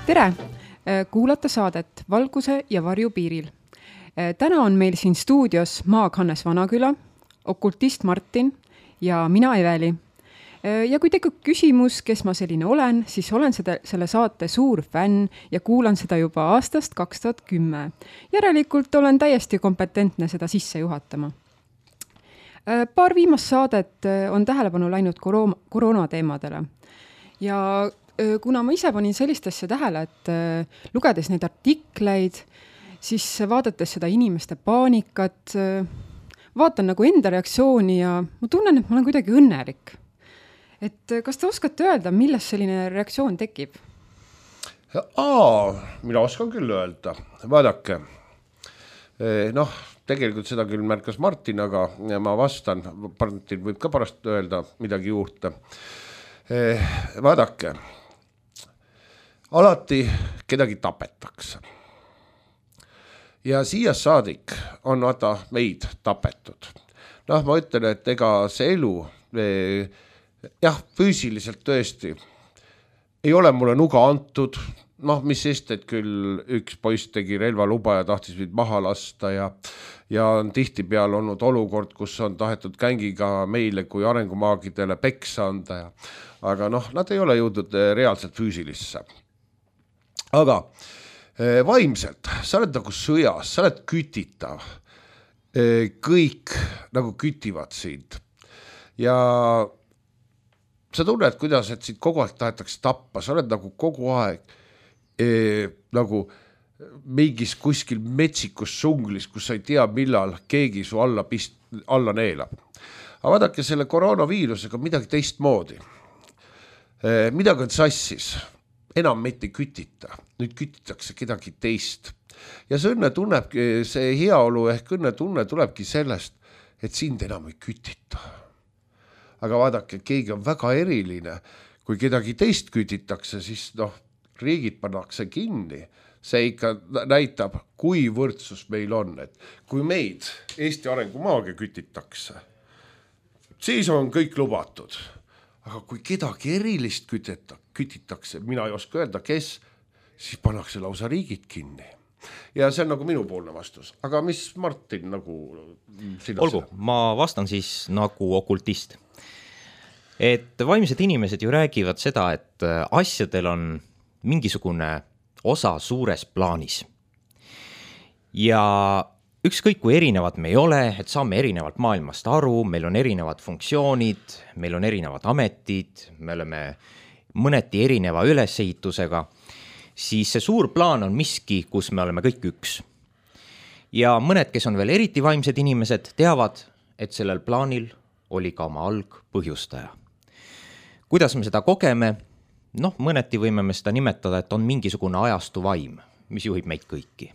Tere! Kuulata saadet Valguse ja varju piiril. Täna on meil siin stuudios maag Hannes Vanaküla, okultist Martin ja mina Eveli. Ja kui tekib küsimus, kes ma selline olen, siis olen selle saate suur fänn ja kuulan seda juba aastast 2010. Järelikult olen täiesti kompetentne seda sisse juhatama. Paar viimast saadet on tähelepanu läinud koroonateemadele. Ja kuna ma ise panin sellist asja tähele, et lugedes neid artikleid, siis vaadates seda inimeste paanikat, vaatan nagu enda reaktsiooni ja ma tunnen, et ma olen kuidagi õnnelik. Et kas te oskate öelda, millest selline reaktsioon tekib? Mina oskan küll öelda. Vaadake. Tegelikult seda küll märkas Martin, aga ma vastan. Martin võib ka pärast öelda midagi juurde. Vaadake. Alati kedagi tapetakse. Ja siia saadik on meid tapetud. Ma ütlen, et ega see elu, füüsiliselt tõesti ei ole mulle nuga antud. Mis sest, et küll üks poiss tegi relvaluba ja tahtis mind maha lasta ja on tihti peal olnud olukord, kus on tahetud kängiga meile kui arengumaagidele peksa anda. Aga nad ei ole jõudnud reaalselt füüsilisse. Aga vaimselt, sa oled nagu sõjas, sa oled kütitav. Kõik nagu kütivad sind. Ja sa tunned, kuidas et sind kogu aeg tahetakse tappa. Sa oled nagu kogu aeg nagu mingis kuskil metsikus sunglis, kus sa ei tea, millal keegi su alla neelab. Aga vaadake, selle koroonaviirusega midagi teistmoodi. Midagi on sassis. Enam meid ei kütita. Nüüd kütitakse kedagi teist. Ja see heaolu ehk õnnetunne tulebki sellest, et sind enam ei kütita. Aga vaadake, keegi on väga eriline. Kui kedagi teist kütitakse, siis riigid pannakse kinni. See ikka näitab, kui võrdsus meil on. Et kui meid Eesti arengumaagia kütitakse, siis on kõik lubatud. Aga kui kedagi erilist kütitakse, mina ei oska öelda, kes, siis pannakse lausa riigid kinni. Ja see on nagu minu poolne vastus. Aga mis Martin nagu sina? Olgu, ma vastan siis nagu okultist. Et vaimsed inimesed ju räägivad seda, et asjadel on mingisugune osa suures plaanis. Ja ükskõik kui erinevad me ei ole, et saame erinevalt maailmast aru, meil on erinevad funktsioonid, meil on erinevad ametid, me oleme mõneti erineva ülesehitusega, siis see suur plaan on miski, kus me oleme kõik üks. Ja mõned, kes on veel eriti vaimsed inimesed, teavad, et sellel plaanil oli ka oma algpõhjustaja. Kuidas me seda kogeme? Mõneti võime me seda nimetada, et on mingisugune ajastu vaim, mis juhib meid kõiki.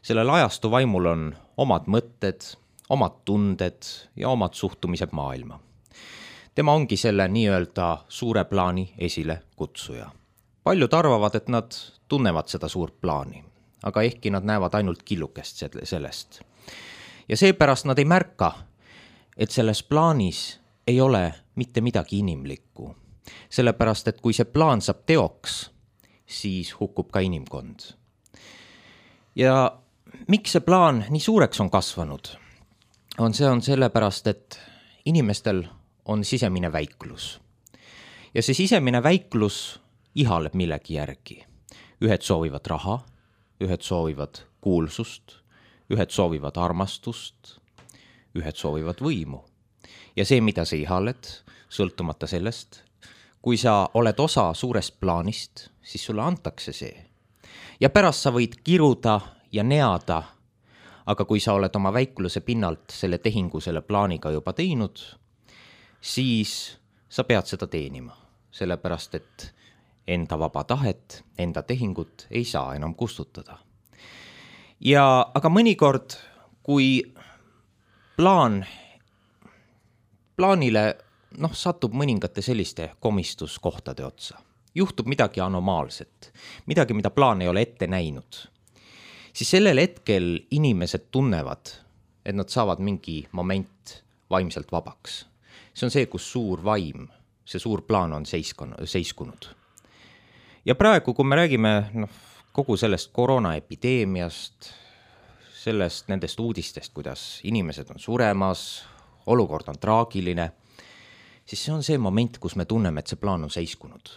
Sellel ajastu vaimul on omad mõtted, omad tunded ja omad suhtumised maailma. Tema ongi selle nii-öelda suure plaani esile kutsuja. Paljud arvavad, et nad tunnevad seda suurt plaani, aga ehkki nad näevad ainult killukest sellest. Ja seepärast nad ei märka, et selles plaanis ei ole mitte midagi inimlikku. Sellepärast, et kui see plaan saab teoks, siis hukkub ka inimkond. Ja miks see plaan nii suureks on kasvanud? On sellepärast, et inimestel on sisemine väiklus. Ja see sisemine väiklus ihaleb millegi järgi. Ühed soovivad raha, ühed soovivad kuulsust, ühed soovivad armastust, ühed soovivad võimu. Ja see, mida sa ihaled, sõltumata sellest, kui sa oled osa suurest plaanist, siis sulle antakse see. Ja pärast sa võid kiruda ja neada, aga kui sa oled oma väikluse pinnalt selle tehingu selle plaaniga juba teinud, siis sa pead seda teenima. Sellepärast, et enda vaba tahet, enda tehingut ei saa enam kustutada. Aga mõnikord, kui plaanile satub mõningate selliste komistuskohtade otsa, juhtub midagi anomaalset, midagi, mida plaan ei ole ette näinud, siis sellel hetkel inimesed tunnevad, et nad saavad mingi moment vaimselt vabaks. See on see, kus suur vaim, see suur plaan on seiskunud. ja praegu, kui me räägime kogu sellest koroonaepideemiast, nendest uudistest, kuidas inimesed on suremas, olukord on traagiline, siis see on see moment, kus me tunneme, et see plaan on seiskunud.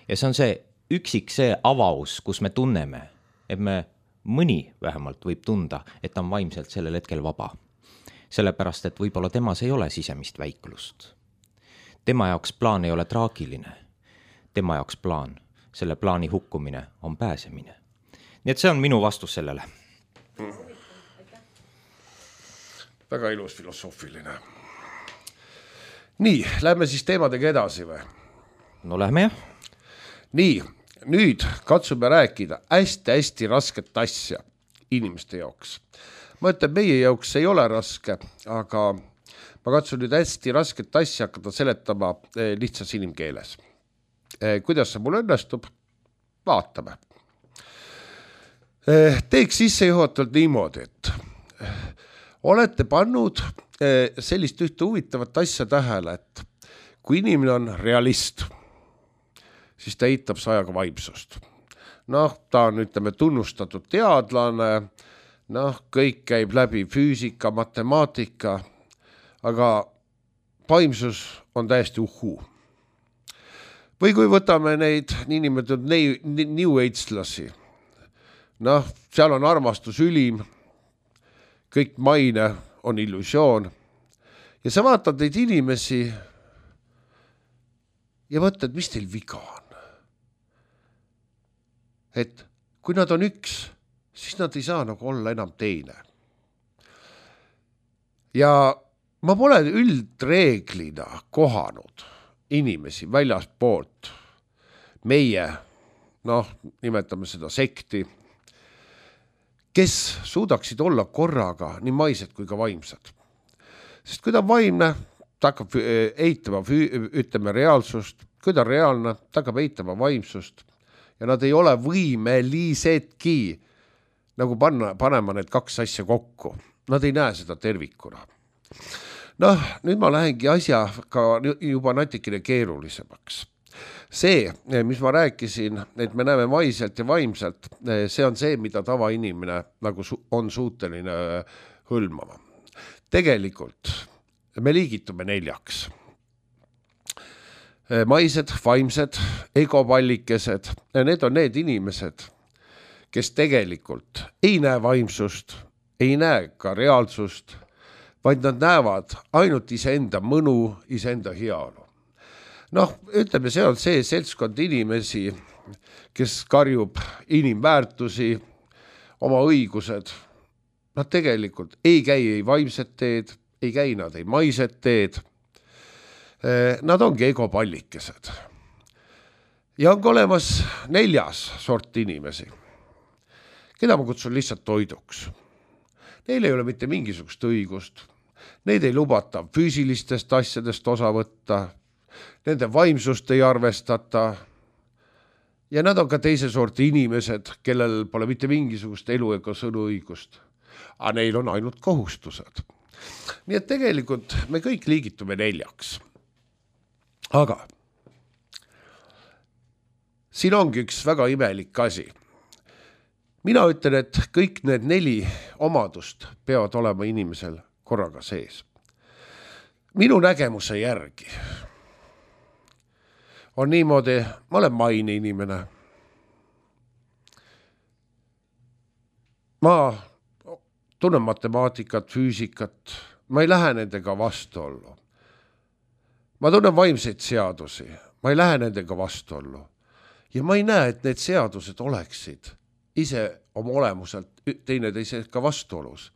Ja see on see avaus, kus me tunneme, et mõni vähemalt võib tunda, et ta on vaimselt sellel hetkel vaba. Sellepärast, et võib-olla temas ei ole sisemist väiklust. Tema jaoks plaan ei ole traagiline. Tema jaoks plaan, selle plaani hukkumine on pääsemine. Nii et see on minu vastus sellele. Väga ilus filosoofiline. Nii, lähme siis teemadega edasi või? No lähme jah. Nii, nüüd katsume rääkida hästi rasket asja inimeste jaoks. Ma ütlen, meie jaoks ei ole raske, aga ma katsun nüüd hästi rasket asja hakata seletama lihtsas inimkeeles. Kuidas see mul õnnestub? Vaatame. Teeks sissejuhatavalt niimoodi, et olete pannud sellist ühte huvitavat asja tähele, et kui inimene on realist, siis ta eitab ajaga vaimsust. Ta on, ütleme, tunnustatud teadlane, kõik käib läbi füüsika, matemaatika, aga vaimsus on täiesti uhuu. Või kui võtame neid niinimetatud New Age-lasi, seal on armastus ülim, kõik maine on illusioon ja sa vaatad neid inimesi ja mõtled, mis teil viga on. Et kui nad on üks, siis nad ei saa nagu olla enam teine. Ja ma pole üldreeglina kohanud inimesi väljaspoolt meie, nimetame seda sekti, kes suudaksid olla korraga nii maised kui ka vaimsed. Sest kui ta on vaimne, ta hakkab eitama, ütleme, reaalsust, kui ta on reaalne, ta hakkab eitama vaimsust ja nad ei ole võimelisedki nagu panema need kaks asja kokku. Nad ei näe seda tervikuna. Nüüd ma lähengi asjaga juba natikene keerulisemaks. See, mis ma rääkisin, et me näeme maiselt ja vaimselt, see on see, mida tavainimene nagu on suuteline hõlmama. Tegelikult me liigitume 4. Maised, vaimsed, egopallikesed, need on need inimesed, kes tegelikult ei näe vaimsust, ei näe ka reaalsust, vaid nad näevad ainult iseenda mõnu, iseenda heaolu. Ütleme, see on see seltskond inimesi, kes karjub inimväärtusi, oma õigused. Nad tegelikult ei käi ei vaimset teed, ei käi nad ei maised teed. Nad ongi egopallikesed. Ja on olemas 4. sort inimesi, keda ma kutsun lihtsalt toiduks. Neil ei ole mitte mingisugust õigust. Neid ei lubata füüsilistest asjadest osa võtta. Nende vaimsust ei arvestata ja nad on ka teise sorti inimesed, kellel pole mitte mingisugust elu ega sõnuõigust, aga neil on ainult kohustused. Nii et tegelikult me kõik liigitume 4. Aga siin ongi üks väga imelik asi. Mina ütlen, et kõik need 4 omadust peavad olema inimesel korraga sees. Minu nägemuse järgi on niimoodi, ma olen maine inimene. Ma tunnen matemaatikat, füüsikat, ma ei lähe nendega vastuollu. Ma tunnen vaimseid seadusi, ma ei lähe nendega vastuollu. Ja ma ei näe, et need seadused oleksid ise oma olemuselt teineteisega vastuolus.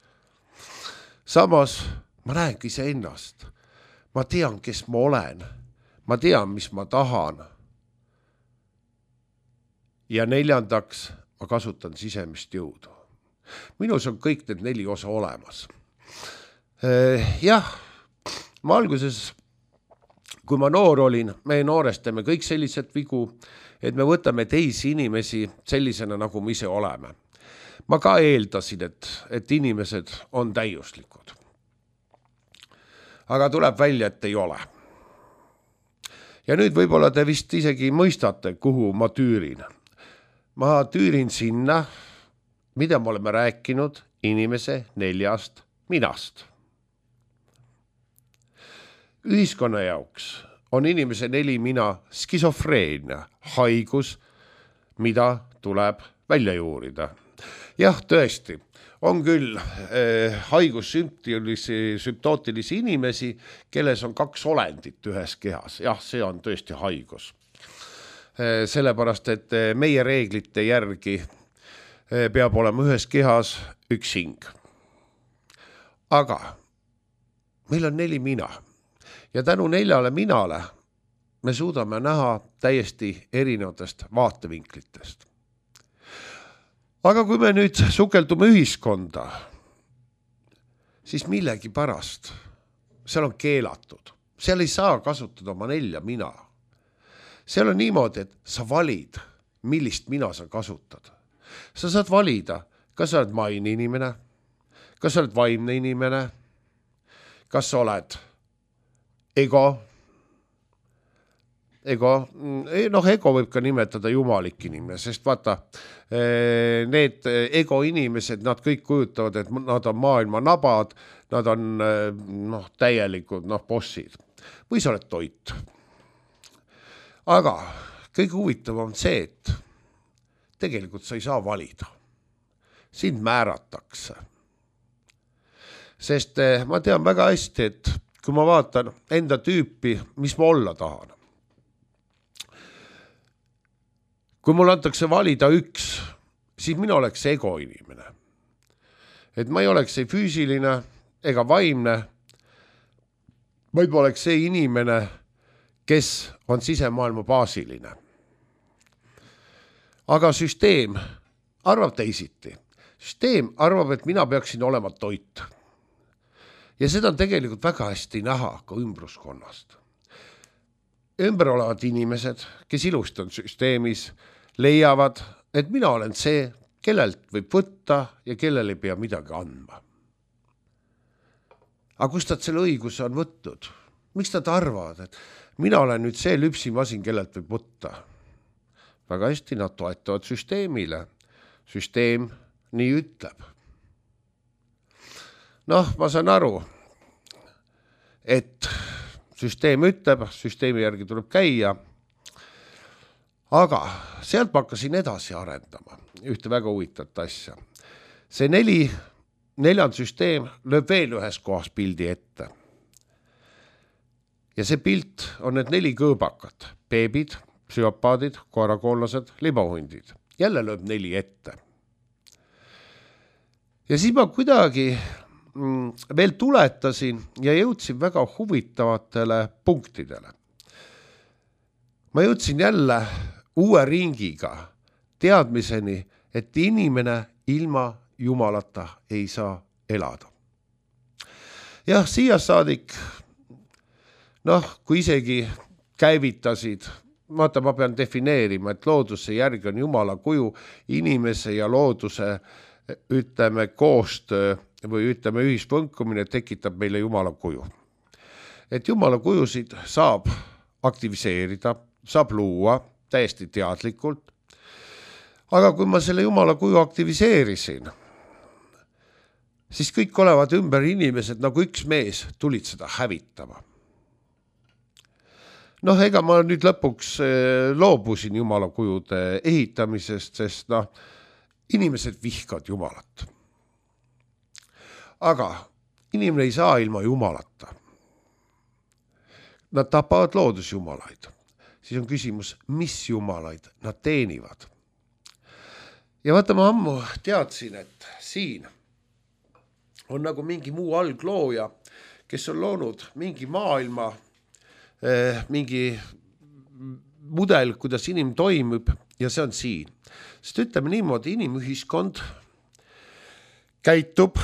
Samas ma näen ise ennast. Ma tean, kes ma olen. Ma tean, mis ma tahan. Ja 4. ma kasutan sisemist jõudu. Minus on kõik need 4 osa olemas. Jah, ma alguses, kui ma noor olin, me noorest teeme kõik sellised vigu, et me võtame teisi inimesi sellisena, nagu me ise oleme. Ma ka eeldasin, et inimesed on täiuslikud. Aga tuleb välja, et ei ole. Ja nüüd võib-olla te vist isegi mõistate, kuhu ma tüürin. Ma tüürin sinna, mida me oleme rääkinud inimese 4 minast. Ühiskonna jaoks on inimese 4 mina skisofreenia, haigus, mida tuleb välja juurida. Jah, tõesti, on küll haigussümptootilisi inimesi, kelles on 2 olendit ühes kehas. Jah, see on tõesti haigus. Sellepärast, et meie reeglite järgi peab olema ühes kehas 1 hing. Aga meil on 4 mina. Ja tänu 4 minale me suudame näha täiesti erinevatest vaatevinklitest. Aga kui me nüüd sukeldume ühiskonda, siis millegi pärast seal on keelatud. Seal ei saa kasutada oma 4 mina. Seal on niimoodi, et sa valid, millist mina sa kasutad. Sa saad valida, kas sa oled maine inimene, kas sa oled vaimne inimene, kas sa oled ego, ego võib ka nimetada jumalik inimene, sest vaata, need ego inimesed, nad kõik kujutavad, et nad on maailma nabad, nad on täielikud bossid. Või sa oled toit. Aga kõige huvitavam on see, et tegelikult sa ei saa valida. Sind määratakse. Sest ma tean väga hästi, et kui ma vaatan enda tüüpi, mis ma olla tahan. Kui mul antakse valida 1, siis mina oleks ego inimene. Et ma ei oleks ei füüsiline ega vaimne, vaid ma oleks see inimene, kes on sisemaailma baasiline. Aga süsteem arvab teisiti. Süsteem arvab, et mina peaksin olema toit. Ja seda on tegelikult väga hästi näha ka ümbruskonnast. Ümber olevad inimesed, kes ilusti on süsteemis, leiavad, et mina olen see, kellelt võib võtta ja kellel ei pea midagi andma. Aga kust nad selle õiguse on võtnud? Miks nad arvavad, et mina olen nüüd see lüpsimasin, kellelt võib võtta? Väga hästi nad toetavad süsteemile. Süsteem nii ütleb. Ma saan aru, et süsteem ütleb, süsteemi järgi tuleb käia, aga sealt ma hakkasin edasi arendama ühte väga huvitavat asja. See 4. süsteem lööb veel ühes kohas pildi ette. Ja see pilt on need 4 kõõbakat, beebid, psüopaadid, koerakoonlased, libahundid. Jälle lööb 4 ette. Ja siis ma kuidagi veel tuletasin ja jõudsin väga huvitavatele punktidele. Ma jõudsin jälle uue ringiga teadmiseni, et inimene ilma Jumalata ei saa elada. Jah, siia saadik, kui isegi käivitasid, ma pean defineerima, et looduse järgi on Jumala kuju inimese ja looduse, ütleme, koostöö või ütleme ühispõnkumine tekitab meile Jumala kuju. Et Jumala kujusid saab aktiviseerida, saab luua täiesti teadlikult. Aga kui ma selle Jumala kuju aktiviseerisin, siis kõik olevad ümber inimesed nagu üks mees tulid seda hävitama. Ega ma nüüd lõpuks loobusin Jumala kujude ehitamisest, sest inimesed vihkavad Jumalat. Aga inimene ei saa ilma Jumalata. Nad tapavad loodusjumalaid. Siis on küsimus, mis jumalaid nad teenivad. Ja vaata, ma ammu teadsin, et siin on nagu mingi muu alglooja, kes on loonud mingi maailma, mingi mudel, kuidas inim toimib ja see on siin. Sest ütleme niimoodi, inimühiskond käitub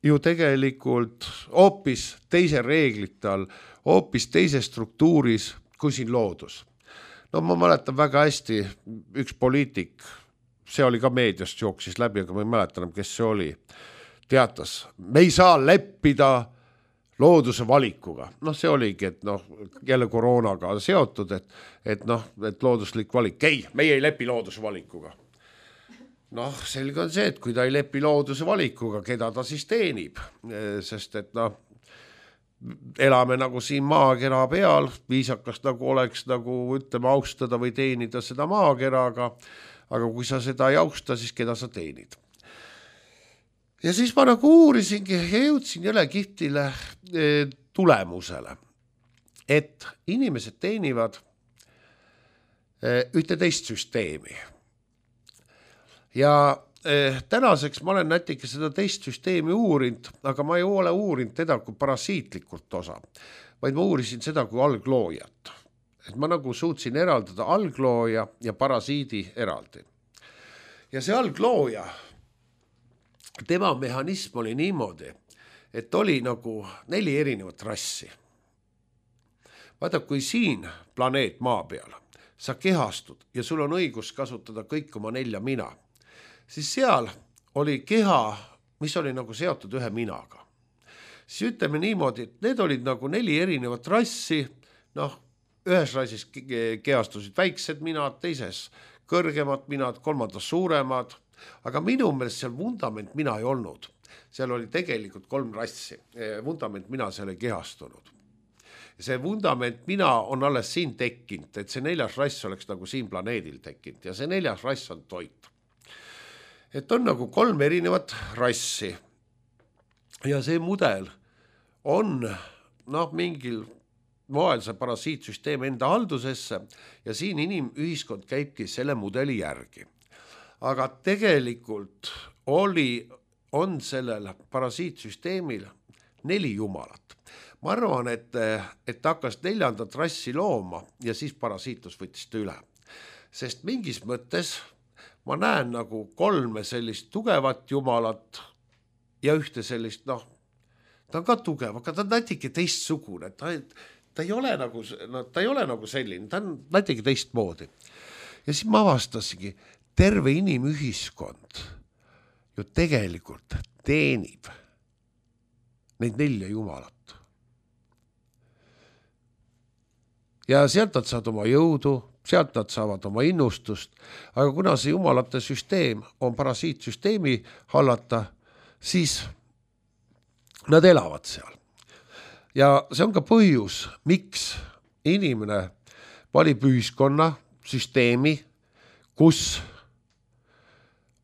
ju tegelikult hoopis teise reeglite all, hoopis teise struktuuris kui siin loodus. Ma mäletan väga hästi, üks poliitik, see oli ka meediast jooksis läbi, aga ma ei mäletan, kes see oli, teatas, me ei saa leppida looduse valikuga. Noh, see oligi, et noh, jälle koroonaga seotud, et looduslik valik. Ei, meie ei lepi looduse valikuga. Noh, selge on see, et kui ta ei lepi looduse valikuga, keda ta siis teenib, sest et noh, elame nagu siin maakera peal, viisakas nagu oleks nagu ütleme austada või teenida seda maakeraga, aga kui sa seda ei austa, siis keda sa teenid. Ja siis ma nagu uurisingi ja jõudsin jälle kihtile tulemusele, et inimesed teenivad ühte teist süsteemi. Ja tänaseks ma olen natuke seda teist süsteemi uurinud, aga ma ei ole uurinud teda kui parasiitlikult osa, vaid ma uurisin seda kui algloojat. Et ma nagu suutsin eraldada alglooja ja parasiidi eraldi. Ja see alglooja, tema mehhanism oli niimoodi, et oli nagu 4 erinevat rassi. Vaata, kui siin planeet maa peal, sa kehastud ja sul on õigus kasutada kõik oma 4 mina, siis seal oli keha, mis oli nagu seotud ühe minaga. Siis ütleme niimoodi, et need olid nagu 4 erinevat rassi, noh, ühes rassis kehastusid väiksed minad, teises kõrgemad minad, kolmandas suuremad, aga minu meelest seal vundament mina ei olnud. Seal oli tegelikult 3 rassi. Vundament mina seal ei kehastunud. See vundament mina on alles siin tekkinud, et see 4. rass oleks nagu siin planeedil tekkinud ja see 4. rass on toit. Et on nagu 3 erinevat rassi ja see mudel on mingil moel see parasiitsüsteem enda haldusesse ja siin inimühiskond käibki selle mudeli järgi. Aga tegelikult on sellel parasiitsüsteemil 4 jumalat. Ma arvan, et hakkas 4. rassi looma ja siis parasiitus võttis ta üle. Sest mingis mõttes ma näen nagu 3 sellist tugevat jumalat ja ühte sellist, ta on ka tugev, aga ta on natuke teistsugune. Ta ei ole nagu selline, ta on natuke teistmoodi. Ja siis ma avastasingi, terve inimühiskond ju tegelikult teenib neid 4 jumalat. Ja sealt nad saavad oma jõudu, sealt nad saavad oma innustust, aga kuna see jumalate süsteem on parasiitsüsteemi hallata, siis nad elavad seal. Ja see on ka põhjus, miks inimene valib ühiskonna süsteemi, kus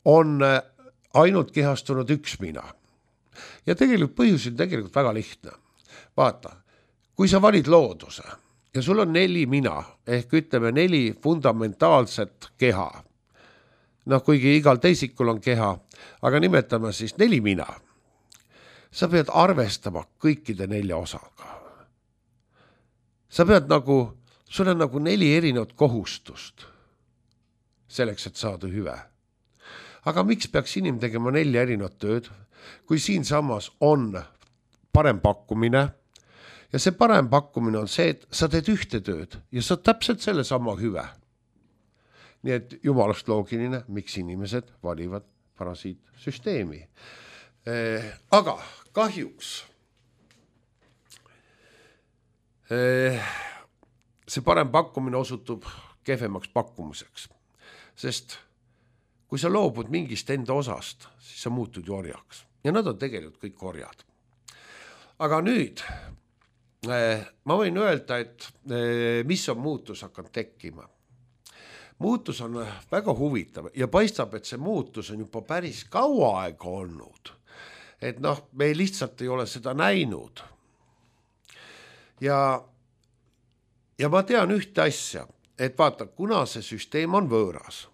on ainult kehastunud 1 mina. Ja tegelikult põhjus on tegelikult väga lihtne. Vaata, kui sa valid looduse ja sul on 4 mina, ehk ütleme 4 fundamentaalset keha, kuigi igal teisikul on keha, aga nimetame siis 4 mina, sa pead arvestama kõikide 4 osaga. Sa pead sul on 4 erinevat kohustust selleks, et saada hüve. Aga miks peaks inimene tegema 4 erinevat tööd, kui siin samas on parem pakkumine ja see parem pakkumine on see, et sa teed ühte tööd ja sa täpselt selle sama hüve. Nii et jumalast loogiline, miks inimesed valivad parasiitsüsteemi. Aga kahjuks see parem pakkumine osutub kehvemaks pakkumiseks, sest kui sa loobud mingist enda osast, siis sa muutud ju orjaks. Ja nad on tegelikult kõik orjad. Aga nüüd ma võin öelda, et mis on muutus hakanud tekkima. Muutus on väga huvitav ja paistab, et see muutus on juba päris kaua aega olnud. Et me lihtsalt ei ole seda näinud. Ja ma tean ühte asja, et vaata, kuna see süsteem on võõras,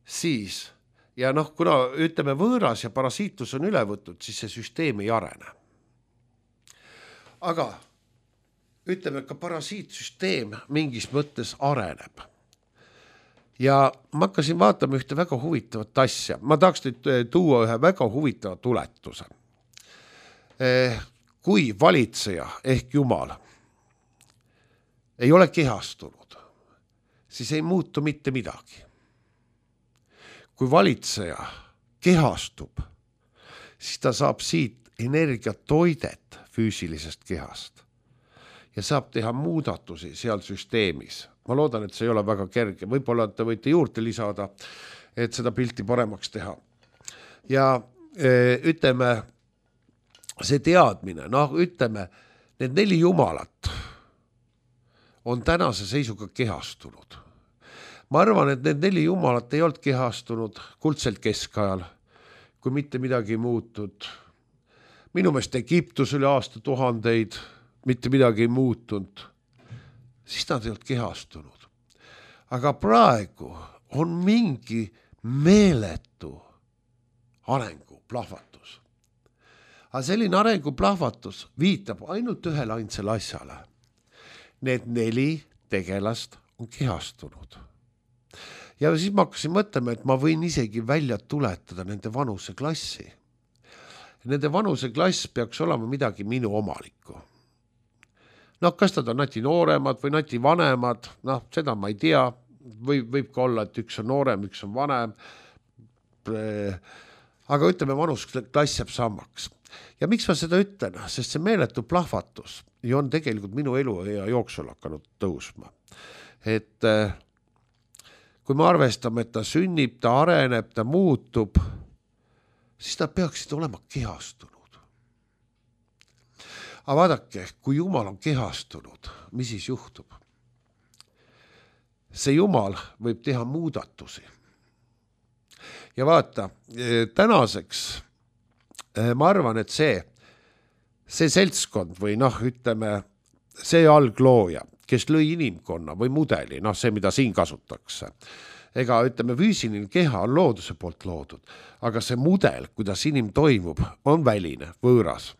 siis, ja kuna ütleme võõras ja parasiitus on üle võtud, siis see süsteem ei arene. Aga ütleme, ka parasiitsüsteem mingis mõttes areneb. Ja ma hakkasin vaatama ühte väga huvitavat asja. Ma tahaks nüüd tuua ühe väga huvitava tuletuse. Kui valitseja ehk Jumal ei ole kehastunud, siis ei muutu mitte midagi. Kui valitseja kehastub, siis ta saab siit energiatoidet füüsilisest kehast ja saab teha muudatusi seal süsteemis. Ma loodan, et see ei ole väga kerge, võib-olla te võite juurde lisada, et seda pilti paremaks teha. Ja ütleme, see teadmine, ütleme, need 4 jumalat on tänase seisuga kehastunud. Ma arvan, et need 4 jumalat ei olnud kehastunud kuldselt keskajal, kui mitte midagi muutud. Minu meelest Egiptus üle aastatuhandeid, mitte midagi ei muutunud, siis nad ei olnud kehastunud. Aga praegu on mingi meeletu arenguplahvatus. Aga selline arenguplahvatus viitab ainult ühele ainsale asjale. Need 4 tegelast on kehastunud. Ja siis ma hakkasin mõtlema, et ma võin isegi välja tuletada nende vanuseklassi. Nende vanuseklass peaks olema midagi minu omalikku. Kas nad on nati nooremad või nati vanemad, seda ma ei tea. Võib ka olla, et üks on noorem, üks on vanem. Aga ütleme, vanuseklass jääb samaks. Ja miks ma seda ütlen? Sest see meeletu plahvatus on tegelikult minu elu ja jooksul hakanud tõusma. Et kui me arvestame, et ta sünnib, ta areneb, ta muutub, siis ta peaksid olema kehastunud. Aga vaadake, kui Jumal on kehastunud, mis siis juhtub? See Jumal võib teha muudatusi. Ja vaata, tänaseks ma arvan, et see seltskond või ütleme, see alglooja, kes lõi inimkonna või mudeli, see, mida siin kasutakse. Ega ütleme, füüsiline keha on looduse poolt loodud, aga see mudel, kuidas inim toimub, on väline, võõras.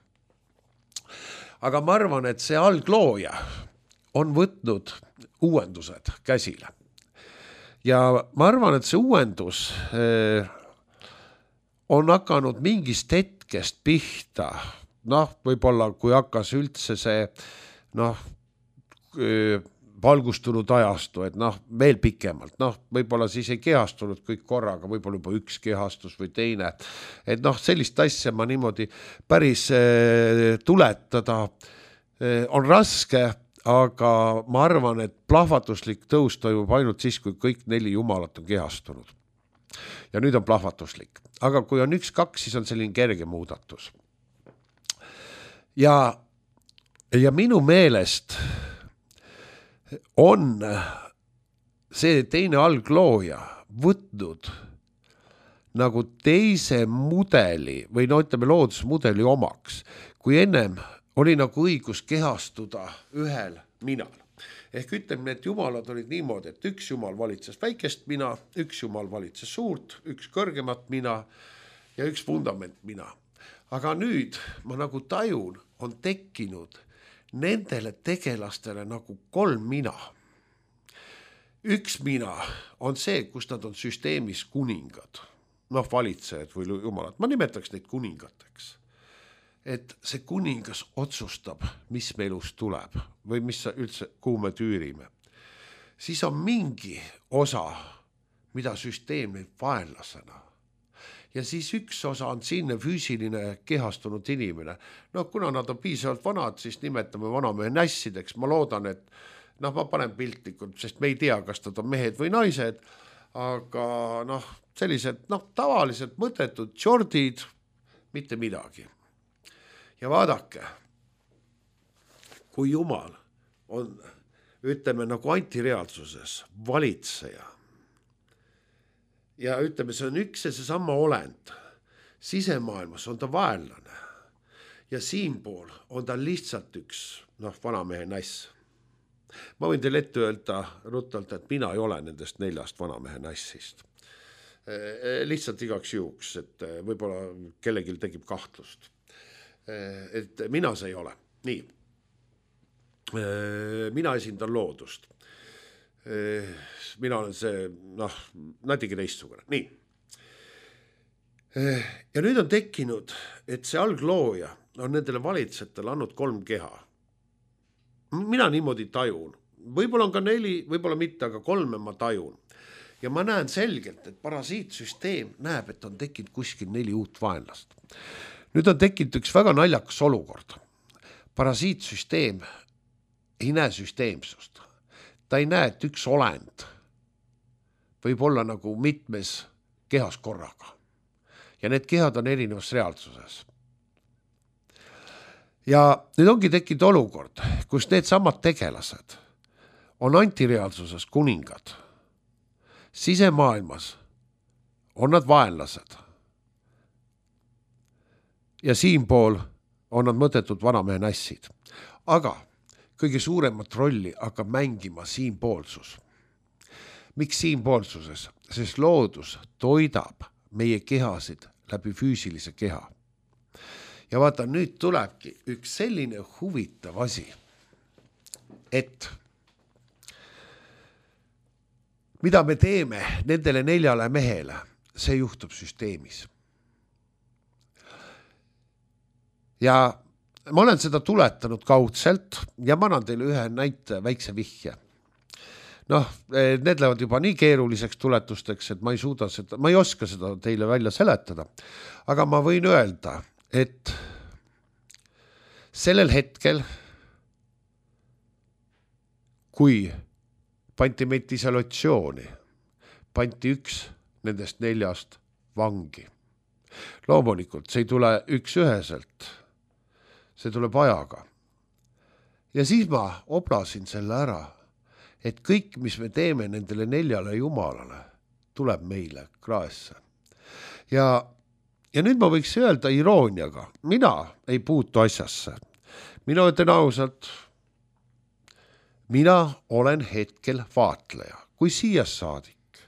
Aga ma arvan, et see alglooja on võtnud uuendused käsile. Ja ma arvan, et see uuendus on hakanud mingist hetkest pihta. Võib-olla kui hakkas üldse see valgustunud ajastu, et veel pikemalt, võib-olla siis ei kehastunud kõik korraga, võib-olla juba üks kehastus või teine, et sellist asja ma niimoodi päris tuletada on raske, aga ma arvan, et plahvatuslik tõus toimub ainult siis, kui kõik 4 jumalat on kehastunud. Ja nüüd on plahvatuslik, aga kui on 1-2, siis on selline kerge muudatus. Ja minu meelest on see teine alglooja võtnud nagu teise mudeli või ütleme loodusmudeli omaks, kui ennem oli nagu õigus kehastuda ühel minal. Ehk ütleme, et jumalad olid niimoodi, et üks jumal valitses väikest mina, üks jumal valitses suurt, üks kõrgemat mina ja üks fundament mina. Aga nüüd ma nagu tajun, on tekkinud nendele tegelastele nagu 3 mina. Üks mina on see, kus nad on süsteemis kuningad, valitsejad või jumalad. Ma nimetaks neid kuningateks. Et see kuningas otsustab, mis me elus tuleb või mis üldse, kuhu me tüürime. Siis on mingi osa, mida süsteem neid vaenlasena. Ja siis üks osa on sinne füüsiline kehastunud inimene. Kuna nad on piisavalt vanad, siis nimetame vanamehe nässideks. Ma loodan, et ma panen piltlikult, sest me ei tea, kas nad on mehed või naised, aga sellised tavaliselt mõttetud jordid, mitte midagi. Ja vaadake, kui Jumal on, ütleme nagu antireaalsuses, valitseja, ja ütleme, see on üks ja seesama olend. Sisemaailmas on ta vaenlane ja siinpool on ta lihtsalt üks vanamehe näss. Ma võin teile ette öelda ruttalt, et mina ei ole nendest 4 vanamehe nassist. Lihtsalt igaks juhuks, et võib-olla kellelgi tekib kahtlust. Et mina see ei ole. Nii. Mina esindan loodust. Mina olen see, natuke teistsugune. Nii. Ja nüüd on tekkinud, et see alglooja on nendele valitsejatele andnud 3 keha. Mina niimoodi tajun. Võib-olla on ka 4, võib-olla mitte, aga 3 ma tajun. Ja ma näen selgelt, et parasiitsüsteem näeb, et on tekkinud kuskil 4 uut vaenlast. nüüd on tekkinud üks väga naljakas olukord. Parasiitsüsteem ei näe süsteemsust. Ta ei näe, et üks olend võib olla nagu mitmes kehas korraga. Ja need kehad on erinevas reaalsuses. Ja nüüd ongi tekkinud olukord, kus need samad tegelased on antireaalsuses kuningad. Sisemaailmas on nad vaenlased. Ja siinpool on nad mõttetud vanamehe nässid. Aga kõige suuremat rolli hakkab mängima siinpoolsus. Miks siinpoolsuses? Sest loodus toidab meie kehasid läbi füüsilise keha. Ja vaata, nüüd tulebki üks selline huvitav asi, et mida me teeme nendele 4 mehele, see juhtub süsteemis. Ja ma olen seda tuletanud kaudselt ja ma annan teile ühe näite, väikse vihje. Need lähevad juba nii keeruliseks tuletusteks, et ma ei oska seda teile välja seletada. Aga ma võin öelda, et sellel hetkel, kui pandi meid isolatsiooni, pandi üks nendest 4 vangi. Loomulikult, see ei tule üks üheselt, see tuleb ajaga. Ja siis ma oblasin selle ära, et kõik, mis me teeme nendele 4 jumalale, tuleb meile kraesse. Ja nüüd ma võiks öelda irooniaga, mina ei puutu asjasse. Mina ütlen ausalt, mina olen hetkel vaatleja. Kui siia saadik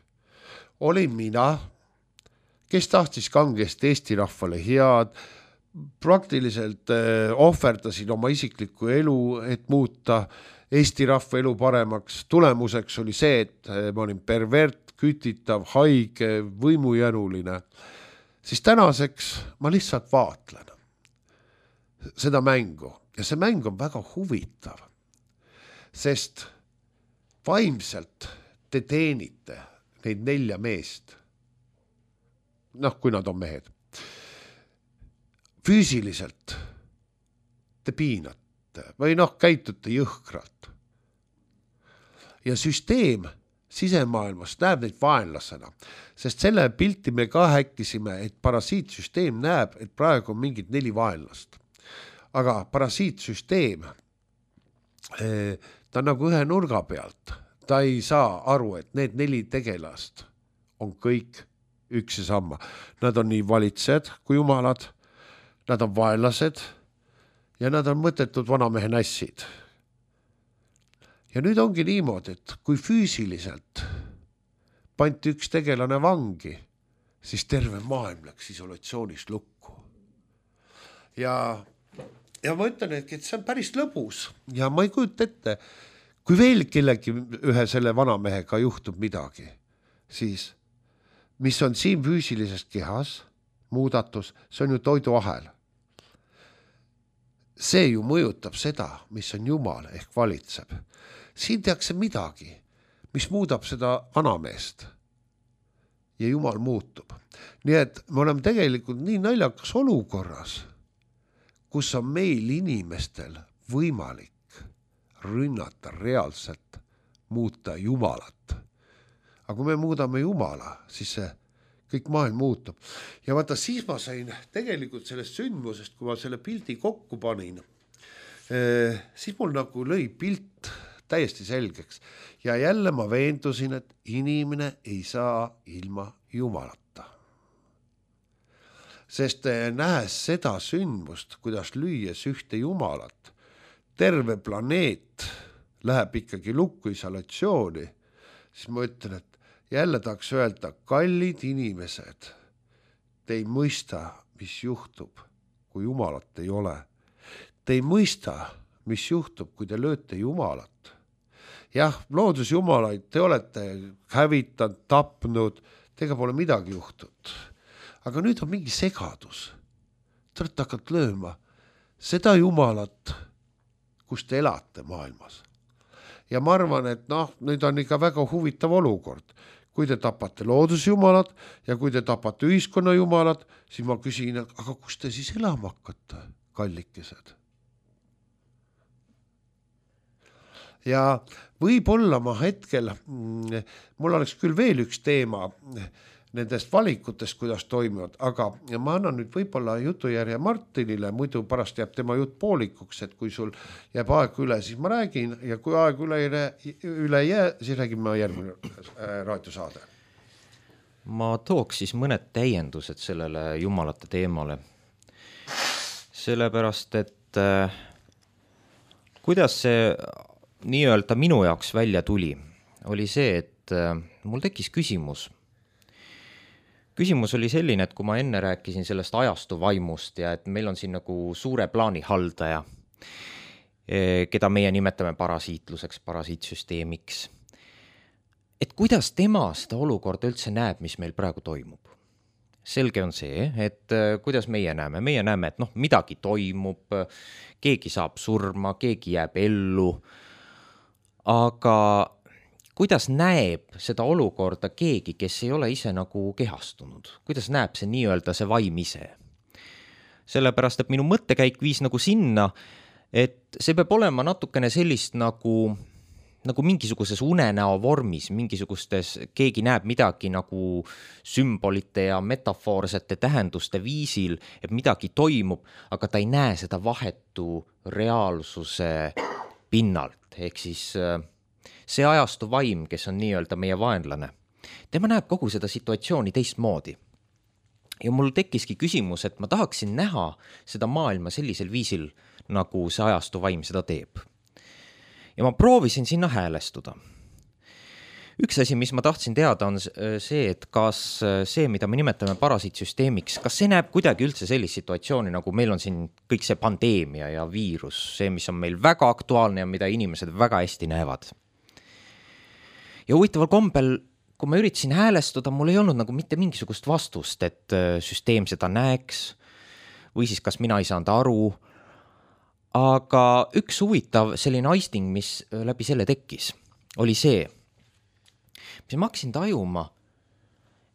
olin mina, kes tahtis kangesti Eesti rahvale head, praktiliselt ohverdasin oma isiklikku elu, et muuta Eesti rahva elu paremaks. Tulemuseks oli see, et ma olin pervert, kütitav, haige, võimujänuline. Siis tänaseks ma lihtsalt vaatlen seda mängu. Ja see mäng on väga huvitav, sest vaimselt te teenite neid 4 meest. Kui nad on mehed. Füüsiliselt te piinate või käitute jõhkralt. Ja süsteem sisemaailmas näeb neid vaenlasena, sest selle pilti me ka häkkisime, et parasiitsüsteem näeb, et praegu on mingid 4 vaenlast. Aga parasiitsüsteem, ta on nagu ühe nurga pealt. Ta ei saa aru, et need 4 tegelast on kõik üks ja sama. Nad on nii valitsejad kui jumalad, nad on vaenlased ja nad on mõttetud vanamehe nässid. Ja nüüd ongi niimoodi, et kui füüsiliselt pandi üks tegelane vangi, siis terve maailm läks isolatsioonis lukku. Ja ma ütlen, et see on päris lõbus ja ma ei kujuta ette, kui veel kellegi ühe selle vanamehega juhtub midagi, siis mis on siin füüsilises kehas, muudatus, see on ju toiduahel. See ju mõjutab seda, mis on Jumal ehk valitseb. Siin tehakse midagi, mis muudab seda vanameest ja Jumal muutub. Nii et me oleme tegelikult nii naljakas olukorras, kus on meil inimestel võimalik rünnata reaalselt, muuta Jumalat. Aga kui me muudame Jumala, siis see kõik maailm muutub. Ja vaata, siis ma sain tegelikult sellest sündmusest, kui ma selle pildi kokku panin, siis mul nagu lõi pilt täiesti selgeks. Ja jälle ma veendusin, et inimene ei saa ilma Jumalata. Sest nähes seda sündmust, kuidas lüües ühte Jumalat, terve planeet läheb ikkagi lukku isolatsiooni, siis ma ütlen, et jälle tahaks öelda, kallid inimesed, te ei mõista, mis juhtub, kui Jumalat ei ole. Te ei mõista, mis juhtub, kui te lööte Jumalat. Jah, loodusjumalaid te olete hävitanud, tapnud, tega pole midagi juhtud. Aga nüüd on mingi segadus. Te olete hakanud lööma seda Jumalat, kus te elate maailmas. Ja ma arvan, et nüüd on ikka väga huvitav olukord, kui te tapate loodusjumalad ja kui te tapate ühiskonnajumalad, siis ma küsin, aga kus te siis elama hakkate, kallikesed? Ja võib-olla ma hetkel, mul oleks küll veel üks teema nendest valikutest, kuidas toimuvad, aga ma annan nüüd võib-olla jutujärje Martinile, muidu pärast jääb tema jutt poolikuks, et kui sul jääb aeg üle, siis ma räägin ja kui aeg üle ei jää, siis räägime järgmine raadiosaade. Ma tooks siis mõned täiendused sellele jumalate teemale. Sellepärast, et kuidas see nii-öelda minu jaoks välja tuli, oli see, et mul tekkis küsimus. Küsimus oli selline, et kui ma enne rääkisin sellest ajastu vaimust ja et meil on siin nagu suure plaani haldaja, keda meie nimetame parasiitluseks, parasiitsüsteemiks, et kuidas tema seda olukorda üldse näeb, mis meil praegu toimub. Selge on see, et kuidas meie näeme, et midagi toimub, keegi saab surma, keegi jääb ellu, aga kuidas näeb seda olukorda keegi, kes ei ole ise nagu kehastunud? Kuidas näeb see nii-öelda see vaim ise? Sellepärast, et minu mõttekäik viis nagu sinna, et see peab olema natukene sellist nagu mingisuguses unenäo vormis, mingisugustes, keegi näeb midagi nagu sümbolite ja metafoorsete tähenduste viisil, et midagi toimub, aga ta ei näe seda vahetu reaalsuse pinnalt, ehk siis see ajastu vaim, kes on nii-öelda meie vaenlane, tema näeb kogu seda situatsiooni teistmoodi. Ja mul tekkiski küsimus, et ma tahaksin näha seda maailma sellisel viisil, nagu see ajastu vaim seda teeb. Ja ma proovisin sinna häälestuda. Üks asi, mis ma tahtsin teada, on see, et kas see, mida me nimetame parasiitsüsteemiks, kas see näeb kuidagi üldse sellist situatsiooni, nagu meil on siin kõik see pandeemia ja viirus, see, mis on meil väga aktuaalne ja mida inimesed väga hästi näevad. Ja huvitaval kombel, kui ma üritasin häälestuda, mul ei olnud nagu mitte mingisugust vastust, et süsteem seda näeks või siis kas mina ei saanud aru. Aga üks huvitav selline aisting, mis läbi selle tekkis, oli see, mis ma hakkasin tajuma,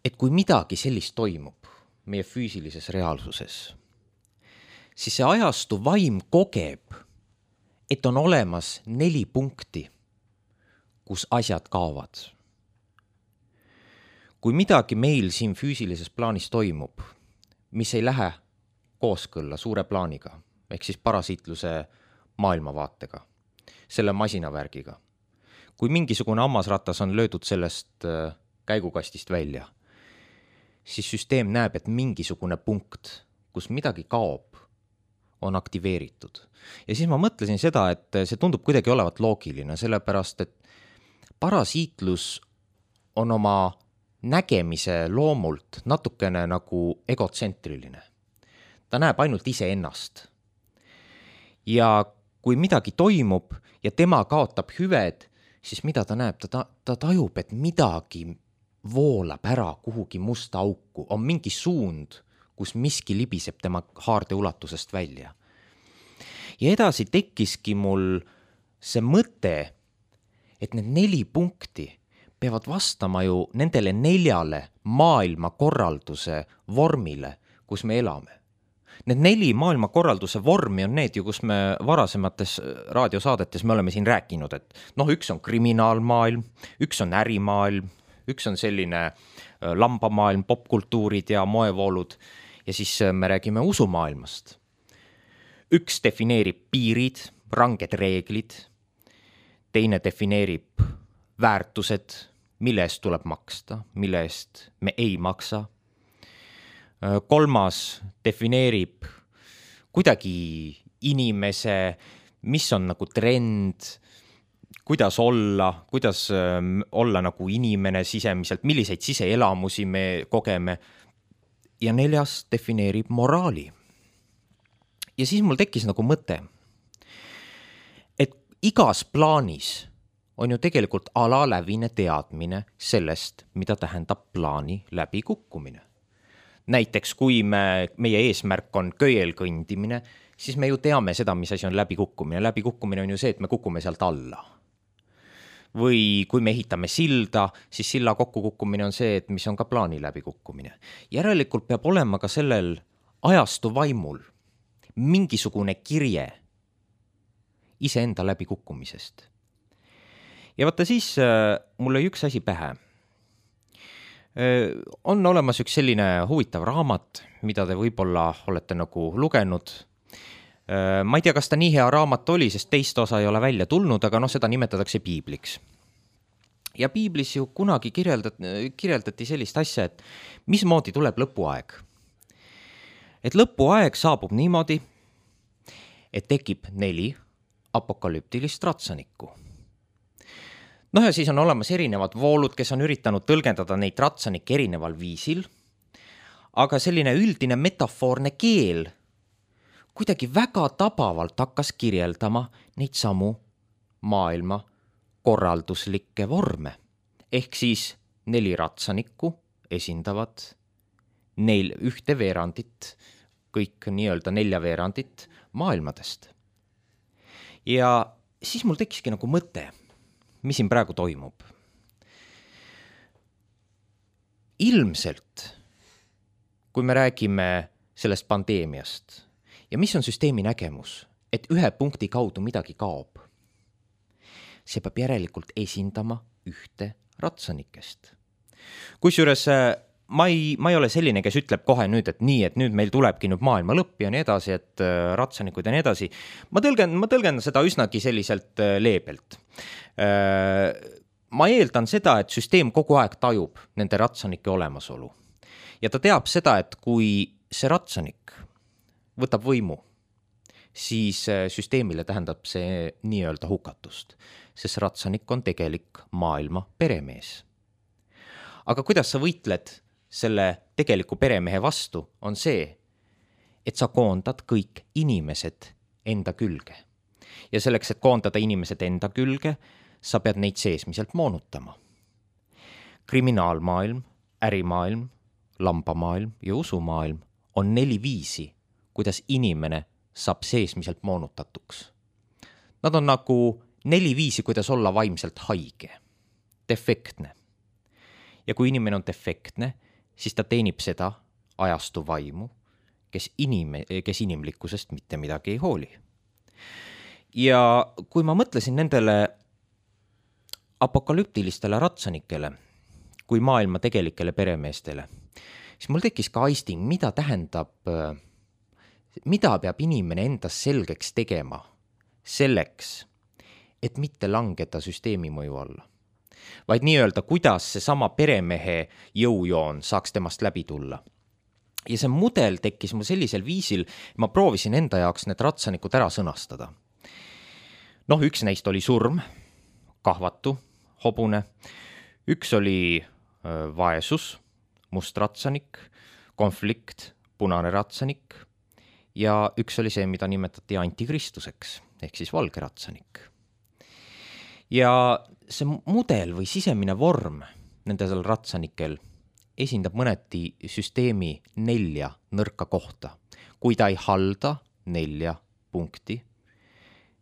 et kui midagi sellist toimub meie füüsilises reaalsuses, siis see ajastu vaim kogeb, et on olemas 4 punkti, kus asjad kaovad. Kui midagi meil siin füüsilises plaanis toimub, mis ei lähe kooskõlla suure plaaniga, ehk siis parasiitluse maailmavaatega, selle masinavärgiga, kui mingisugune hammasratas on löödud sellest käigukastist välja, siis süsteem näeb, et mingisugune punkt, kus midagi kaob, on aktiveeritud. Ja siis ma mõtlesin seda, et see tundub kuidagi olevat loogiline, sellepärast, et parasiitlus on oma nägemise loomult natukene nagu egotsentriline. Ta näeb ainult iseennast. Ja kui midagi toimub ja tema kaotab hüved, siis mida ta näeb? Ta tajub, et midagi voolab ära kuhugi musta auku. On mingi suund, kus miski libiseb tema haarde ulatusest välja. Ja edasi tekkiski mul see mõte, et need 4 punkti peavad vastama ju nendele 4 maailmakorralduse vormile, kus me elame. Need 4 maailmakorralduse vormi on need ju, kus me varasemates raadiosaadetes me oleme siin rääkinud, et üks on kriminaalmaailm, üks on ärimaailm, üks on selline lambamaailm, popkultuurid ja moevoolud ja siis me räägime usumaailmast. Üks defineerib piirid, ranged reeglid, teine defineerib väärtused, mille eest tuleb maksta, mille eest me ei maksa. Kolmas defineerib kuidagi inimese, mis on nagu trend, kuidas olla nagu inimene sisemiselt, milliseid siseelamusi me kogeme. Ja 4. defineerib moraali. Ja siis mul tekkis nagu mõte, et igas plaanis on ju tegelikult alalävine teadmine sellest, mida tähendab plaani läbikukkumine. Näiteks, kui meie eesmärk on köiel kõndimine, siis me ju teame seda, mis asi on läbikukkumine. Läbikukkumine on ju see, et me kukume sealt alla. või kui me ehitame silda, siis silla kokkukukkumine on see, et mis on ka plaani läbikukkumine. Järelikult peab olema ka sellel ajastu vaimul mingisugune kirje iseenda läbikukkumisest. Ja vaata siis mul oli üks asi pähe. On olemas üks selline huvitav raamat, mida te võib-olla olete nagu lugenud. Ma ei tea, kas ta nii hea raamat oli, sest teist osa ei ole välja tulnud, aga seda nimetatakse piibliks. Ja piiblis ju kunagi kirjeldati sellist asja, et mismoodi tuleb lõpuaeg. Et lõpuaeg saabub niimoodi, et tekib 4 apokalüptilist ratsanikku. Ja siis on olemas erinevad voolud, kes on üritanud tõlgendada neid ratsanikke erineval viisil, aga selline üldine metafoorne keel kuidagi väga tabavalt hakkas kirjeldama neid samu maailma korralduslikke vorme. Ehk siis 4 ratsanikku esindavad 1 veerandit, kõik nii-öelda 4 veerandit maailmadest. Ja siis mul tekiski nagu mõte, mis siin praegu toimub. Ilmselt, kui me räägime sellest pandeemiast ja mis on süsteemi nägemus, et ühe punkti kaudu midagi kaob, see peab järelikult esindama 1 ratsanikest. Kusjuures ma ei ole selline, kes ütleb kohe nüüd, et nüüd meil tulebki nüüd maailma lõpp ja nii edasi, et ratsanikud ja nii edasi. Ma tõlgendan seda üsnagi selliselt leebelt. Ma eeldan seda, et süsteem kogu aeg tajub nende ratsanike olemasolu. Ja ta teab seda, et kui see ratsanik võtab võimu, siis süsteemile tähendab see nii-öelda hukatust, sest ratsanik on tegelik maailma peremees. Aga kuidas sa võitled selle tegeliku peremehe vastu, on see, et sa koondad kõik inimesed enda külge. Ja selleks, et koondada inimesed enda külge, sa pead neid seesmiselt moonutama. Kriminaalmaailm, ärimaailm, lambamaailm ja usumaailm on 4 viisi, kuidas inimene saab seesmiselt moonutatuks. Nad on nagu 4 viisi, kuidas olla vaimselt haige, defektne. Ja kui inimene on defektne, siis ta teenib seda ajastu vaimu, kes inimlikkusest mitte midagi ei hooli. Ja kui ma mõtlesin nendele apokalüptilistele ratsanikele kui maailma tegelikele peremeestele, siis mul tekkis ka aisting, mida peab inimene endas selgeks tegema selleks, et mitte langeda süsteemi mõju alla. Vaid nii-öelda, kuidas see sama peremehe jõujoon saaks temast läbi tulla. Ja see mudel tekkis mul sellisel viisil, ma proovisin enda jaoks need ratsanikud ära sõnastada. Üks neist oli surm, kahvatu, hobune. Üks oli vaesus, must ratsanik, konflikt, punane ratsanik. Ja üks oli see, mida nimetati antikristuseks, ehk siis valge ratsanik. Ja see mudel või sisemine vorm nendel ratsanikel esindab mõneti süsteemi 4 nõrka kohta. Kui ta ei halda 4 punkti,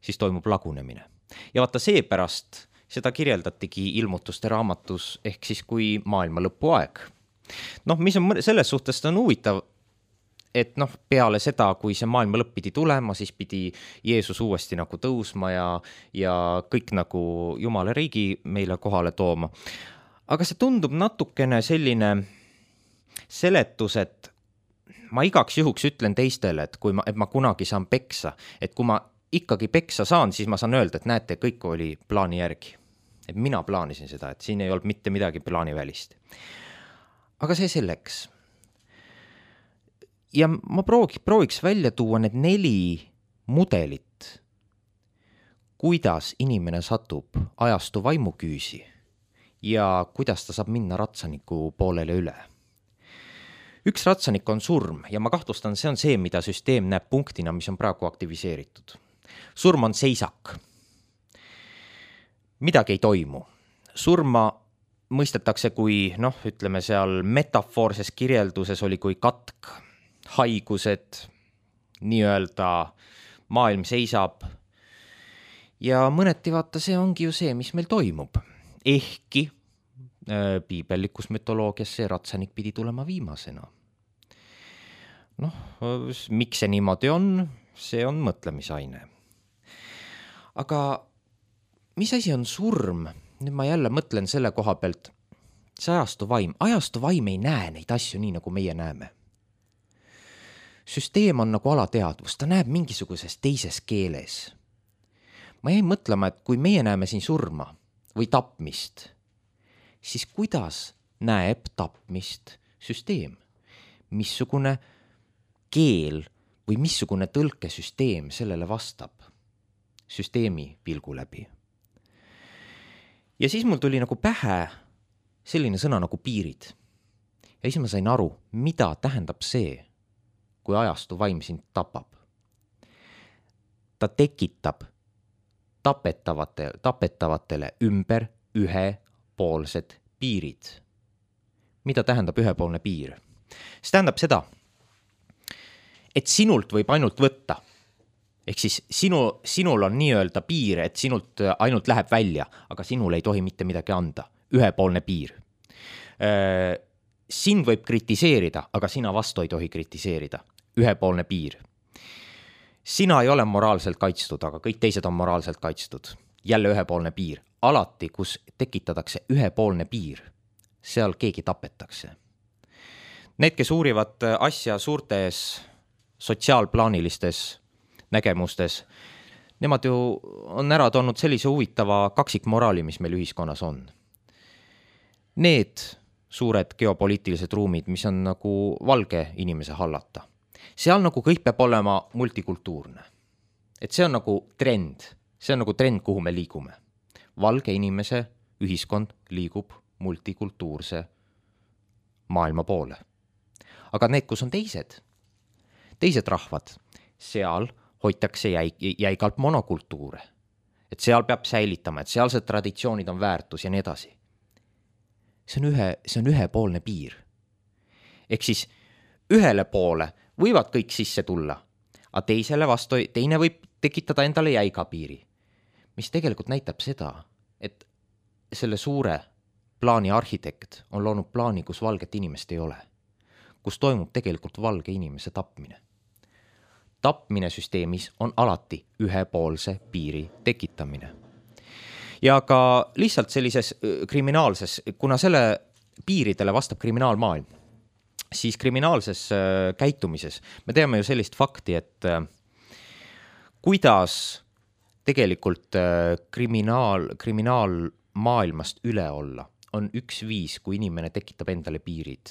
siis toimub lagunemine. Ja vaata seepärast seda kirjeldatigi ilmutuste raamatus ehk siis kui maailma lõpuaeg. Mis on selles suhtes on huvitav, et peale seda, kui see maailma lõpp pidi tulema, siis pidi Jeesus uuesti nagu tõusma ja kõik nagu Jumala riigi meile kohale tooma. Aga see tundub natukene selline seletus, et ma igaks juhuks ütlen teistele, et ma kunagi saan peksa, et kui ma ikkagi peksa saan, siis ma saan öelda, et näete, kõik oli plaani järgi. Et mina plaanisin seda, et siin ei olnud mitte midagi plaani välist. Aga see selleks. Ja ma prooviks välja tuua need 4 mudelit, kuidas inimene satub ajastu vaimuküüsi ja kuidas ta saab minna ratsaniku poolele üle. Üks ratsanik on surm ja ma kahtlustan, see on see, mida süsteem näeb punktina, mis on praegu aktiviseeritud. Surm on seisak. Midagi ei toimu. Surma mõistetakse kui, ütleme seal metafoorses kirjelduses oli kui katk, haigused, nii-öelda maailm seisab ja mõneti vaata, see ongi ju see, mis meil toimub. Ehkki piibellikus mütoloogias see ratsanik pidi tulema viimasena. Miks see niimoodi on, see on mõtlemisaine. Aga mis asi on surm? Nüüd ma jälle mõtlen selle koha pealt, see ajastu vaim ei näe neid asju nii, nagu meie näeme. Süsteem on nagu alateadvus, ta näeb mingisuguses teises keeles. Ma jäin mõtlema, et kui meie näeme siin surma või tapmist, siis kuidas näeb tapmist süsteem? Missugune keel või missugune tõlkesüsteem sellele vastab süsteemi pilgu läbi? Ja siis mul tuli nagu pähe selline sõna nagu piirid. Ja siis ma sain aru, mida tähendab see, kui ajastu vaim sind tapab. Ta tekitab tapetavatele ümber ühepoolsed piirid. Mida tähendab ühepoolne piir? See tähendab seda, et sinult võib ainult võtta. Ehk siis sinul on nii-öelda piir, et sinult ainult läheb välja, aga sinul ei tohi mitte midagi anda. Ühepoolne piir. Sind võib kritiseerida, aga sina vastu ei tohi kritiseerida. Ühepoolne piir. Sina ei ole moraalselt kaitstud, aga kõik teised on moraalselt kaitstud. Jälle ühepoolne piir. Alati, kus tekitatakse ühepoolne piir, seal keegi tapetakse. Need, kes uurivad asja suurtes sotsiaalplaanilistes nägemustes, nemad ju on ära toonud sellise huvitava kaksikmoraali, mis meil ühiskonnas on. Need suured geopoliitilised ruumid, mis on nagu valge inimese hallata, seal nagu kõik peab olema multikultuurne. Et see on nagu trend, kuhu me liigume. Valge inimese ühiskond liigub multikultuurse maailma poole. Aga need, kus on teised rahvad, seal hoitakse jäigalt monokultuure. Et seal peab säilitama, et sealsed traditsioonid on väärtus ja nii edasi. See on ühepoolne piir. Ehk siis ühele poole võivad kõik sisse tulla, aga teine võib tekitada endale jäiga piiri, mis tegelikult näitab seda, et selle suure plaani arhitekt on loonud plaani, kus valget inimest ei ole, kus toimub tegelikult valge inimese tapmine. Tapmine süsteemis on alati ühepoolse piiri tekitamine. Ja ka lihtsalt sellises kriminaalses, kuna selle piiridele vastab kriminaalmaailm, siis kriminaalses käitumises me teame ju sellist fakti, et kuidas tegelikult kriminaalmaailmast üle olla on üks viis, kui inimene tekitab endale piirid.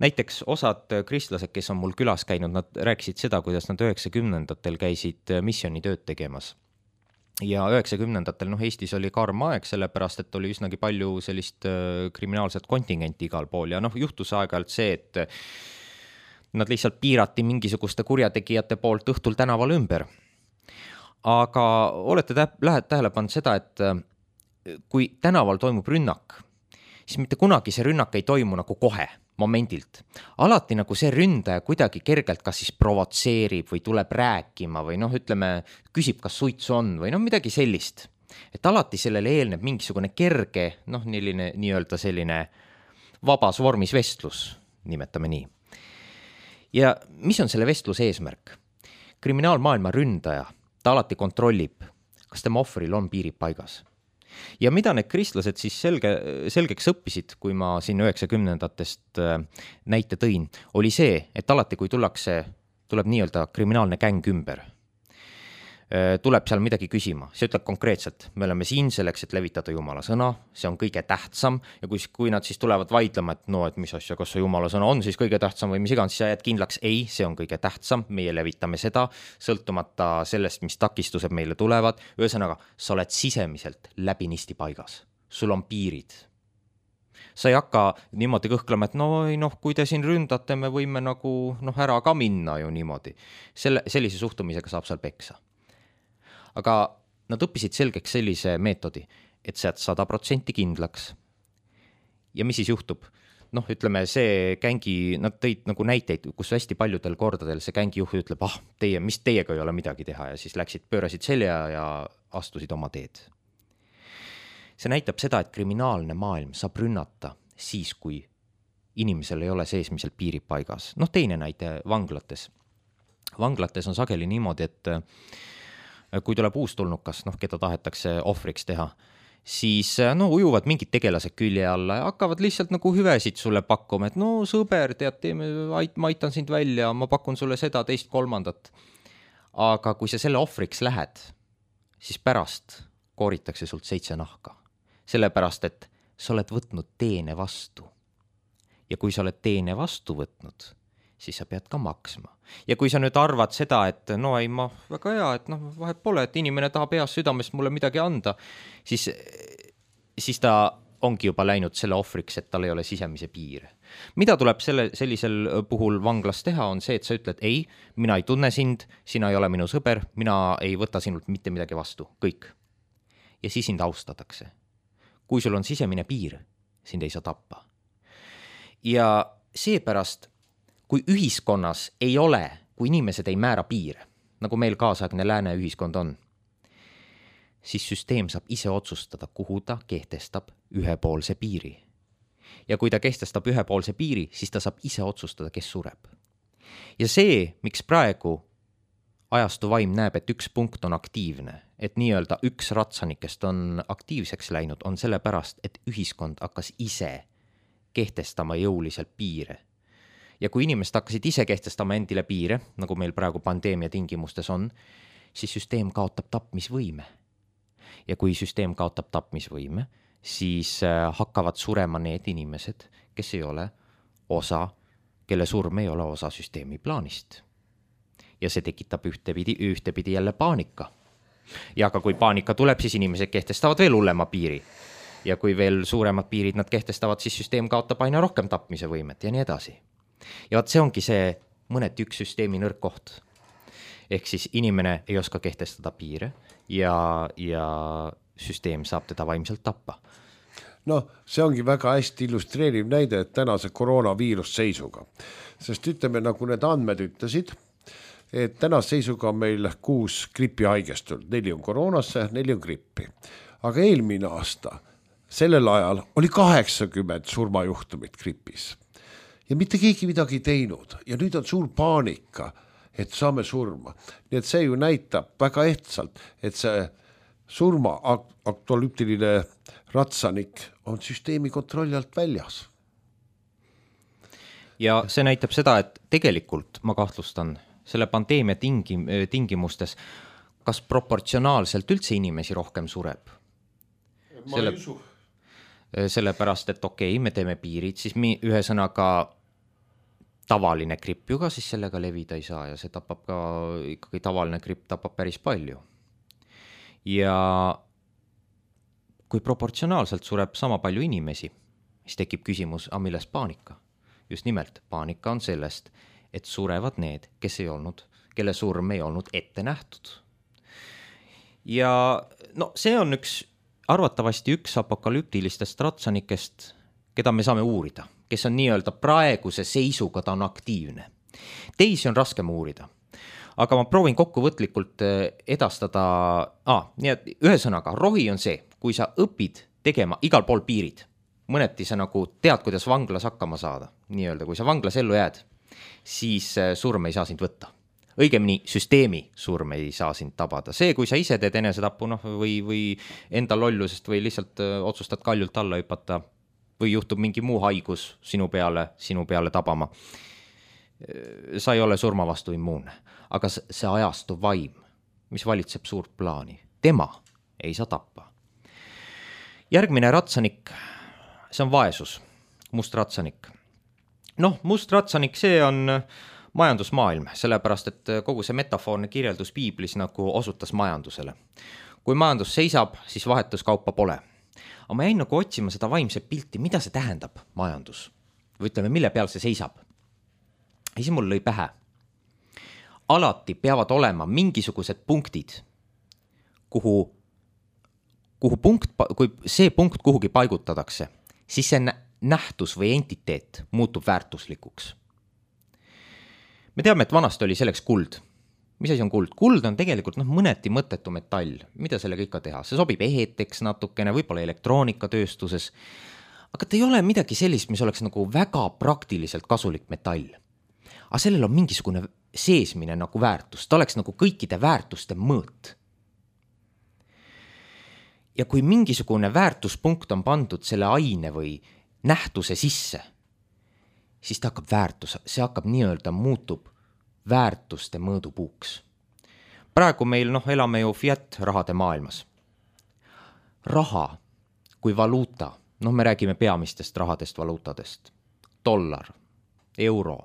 Näiteks osad kristlased, kes on mul külas käinud, nad rääkisid seda, kuidas nad 90-ndatel käisid missioonitööd tegemas. Ja 90-ndatel Eestis oli karm aeg, sellepärast, et oli üsnagi palju sellist kriminaalset kontingenti igal pool. Ja juhtus aeg-ajalt see, et nad lihtsalt piirati mingisuguste kurjategijate poolt õhtul tänaval ümber. Aga olete tähele pannud seda, et kui tänaval toimub rünnak, siis mitte kunagi see rünnak ei toimu nagu kohe, momendilt. Alati nagu see ründaja kuidagi kergelt kas siis provotseerib või tuleb rääkima või küsib, kas suitsu on või midagi sellist. Et alati sellele eelneb mingisugune kerge, nii-öelda selline vabas vormis vestlus, nimetame nii. Ja mis on selle vestluse eesmärk? Kriminaalmaailma ründaja, ta alati kontrollib, kas tema ohvril on piirid paigas. Ja mida need kristlased siis selgeks õppisid, kui ma siin 90-ndatest näite tõin, oli see, et alati kui tuleb nii-öelda kriminaalne gäng ümber, tuleb seal midagi küsima. See ütleb konkreetselt, me oleme siin selleks, et levitada Jumala sõna, see on kõige tähtsam ja kui nad siis tulevad vaidlema, et mis asja, kas see Jumala sõna on siis kõige tähtsam või mis iganes, siis jääd kindlaks, ei, see on kõige tähtsam, meie levitame seda, sõltumata sellest, mis takistused meile tulevad. Ühesõnaga, sa oled sisemiselt läbinisti paigas, sul on piirid. Sa ei hakka niimoodi kõhklema, et kui te siin ründate, me võime ära ka minna ju niimoodi. Sellise suhtumisega saab seal peksa. Aga nad õppisid selgeks sellise meetodi, et sa 100% kindlaks. Ja mis siis juhtub? Ütleme, see gängi, nad tõid nagu näiteid, kus hästi paljudel kordadel see gängi juht ütleb, mis teiega ei ole midagi teha ja siis pöörasid selja ja astusid oma teed. See näitab seda, et kriminaalne maailm saab rünnata siis, kui inimesel ei ole seesmiselt piirid paigas. Noh, teine näite vanglates. Vanglates on sageli niimoodi, et kui tuleb uustulnukas, keda tahetakse ohvriks teha, siis ujuvad mingid tegelased külje alla ja hakkavad lihtsalt nagu hüvesid sulle pakkuma, et sõber, tead, ma aitan sind välja, ma pakun sulle seda, teist, kolmandat. Aga kui sa selle ohvriks lähed, siis pärast kooritakse sult 7 nahka. Sellepärast, et sa oled võtnud teene vastu. Ja kui sa oled teene vastu võtnud, siis sa pead ka maksma. Ja kui sa nüüd arvad seda, et väga hea, et vahet pole, et inimene tahab heast südamest mulle midagi anda, siis ta ongi juba läinud selle ohvriks, et tal ei ole sisemise piire. Mida tuleb sellisel puhul vanglas teha, on see, et sa ütled, ei, mina ei tunne sind, sina ei ole minu sõber, mina ei võta sinult mitte midagi vastu, kõik. Ja siis sind austatakse. Kui sul on sisemine piir, sind ei saa tappa. Ja seepärast, kui ühiskonnas ei ole, kui inimesed ei määra piire, nagu meil kaasaegne lääne ühiskond on, siis süsteem saab ise otsustada, kuhu ta kehtestab ühepoolse piiri. Ja kui ta kehtestab ühepoolse piiri, siis ta saab ise otsustada, kes sureb. Ja see, miks praegu ajastu vaim näeb, et üks punkt on aktiivne, et nii-öelda üks ratsanikest on aktiivseks läinud, on sellepärast, et ühiskond hakkas ise kehtestama jõuliselt piire. Ja kui inimesed hakkasid ise kehtestama endile piire, nagu meil praegu pandeemia tingimustes on, siis süsteem kaotab tapmisvõime. Ja kui süsteem kaotab tapmisvõime, siis hakkavad surema need inimesed, kes ei ole osa, kelle surm ei ole osa süsteemi plaanist. Ja see tekitab ühtepidi jälle paanika. Ja aga kui paanika tuleb, siis inimesed kehtestavad veel hullema piiri. Ja kui veel suuremad piirid nad kehtestavad, siis süsteem kaotab aina rohkem tapmise võimet ja nii edasi. Ja vaat see ongi see mõneti üks süsteemi nõrk koht. Ehk siis inimene ei oska kehtestada piire ja süsteem saab teda vaimselt tappa. See ongi väga hästi illustreeriv näide, et tänase koroonaviirus seisuga. Sest ütleme, nagu need andmed ütlesid, et tänase seisuga on meil 6 gripi haigestult, 4 on koroonasse, 4 on grippi. Aga eelmine aasta, sellel ajal oli 80 surmajuhtumit gripis. Ja mitte keegi midagi ei teinud. Ja nüüd on suur paanika, et saame surma. Nii et see ju näitab väga ehtsalt, et see surma aktualüptiline ratsanik on süsteemi kontrolli alt väljas. Ja see näitab seda, et tegelikult ma kahtlustan selle pandeemia tingimustes, kas proportsionaalselt üldse inimesi rohkem sureb? Ma ei usu. Sellepärast, et okei, me teeme piirid, siis ühesõnaga tavaline gripp ju ka siis sellega levida ei saa ja see tapab ka, ikkagi tavaline gripp tapab päris palju. Ja kui proportsionaalselt sureb sama palju inimesi, siis tekib küsimus, millest paanika? Just nimelt, paanika on sellest, et surevad need, kelle surm ei olnud ette nähtud. Ja see on arvatavasti üks apokalüptilistest ratsanikest, keda me saame uurida, kes on nii-öelda praeguse seisuga, ta on aktiivne. Teisi on raskem uurida, aga ma proovin kokkuvõtlikult edastada, nii et ühesõnaga, rohi on see, kui sa õpid tegema igal pool piirid, mõneti sa nagu tead, kuidas vanglas hakkama saada, nii-öelda, kui sa vanglas ellu jääd, siis surm ei saa sind võtta. Õigemini süsteemi surm ei saa sind tabada. See, kui sa ise teed enesetappu või enda lollusest või lihtsalt otsustad kaljult alla hüpata või juhtub mingi muu haigus sinu peale tabama, sa ei ole surma vastu immuunne. Aga see ajastu vaim, mis valitseb suurt plaani, tema ei saa tappa. Järgmine ratsanik, see on vaesus, must ratsanik. Must ratsanik, see on majandusmaailm, sellepärast, et kogu see metafoorne kirjeldus piiblis nagu osutas majandusele. Kui majandus seisab, siis vahetuskaupa pole. Aga ma jäin nagu otsima seda vaimset pilti, mida see tähendab majandus? Või ütleme, mille peal see seisab? Ja siis mul lõi pähe. Alati peavad olema mingisugused punktid, kui see punkt kuhugi paigutatakse, siis see nähtus või entiteet muutub väärtuslikuks. Me teame, et vanasti oli selleks kuld. mis asi on kuld? Kuld on tegelikult mõneti mõttetu metall, mida sellega ikka teha, see sobib eheteks natukene, võib-olla elektroonikatööstuses, aga ta ei ole midagi sellist, mis oleks nagu väga praktiliselt kasulik metall. Aga sellel on mingisugune seesmine nagu väärtus, ta oleks nagu kõikide väärtuste mõõt. Ja kui mingisugune väärtuspunkt on pandud selle aine või nähtuse sisse, siis ta hakkab väärtus, see hakkab nii-öelda muutub väärtuste mõõdupuuks. Praegu meil elame ju fiat rahade maailmas. Raha kui valuuta, me räägime peamistest rahadest valuutadest, dollar, euro.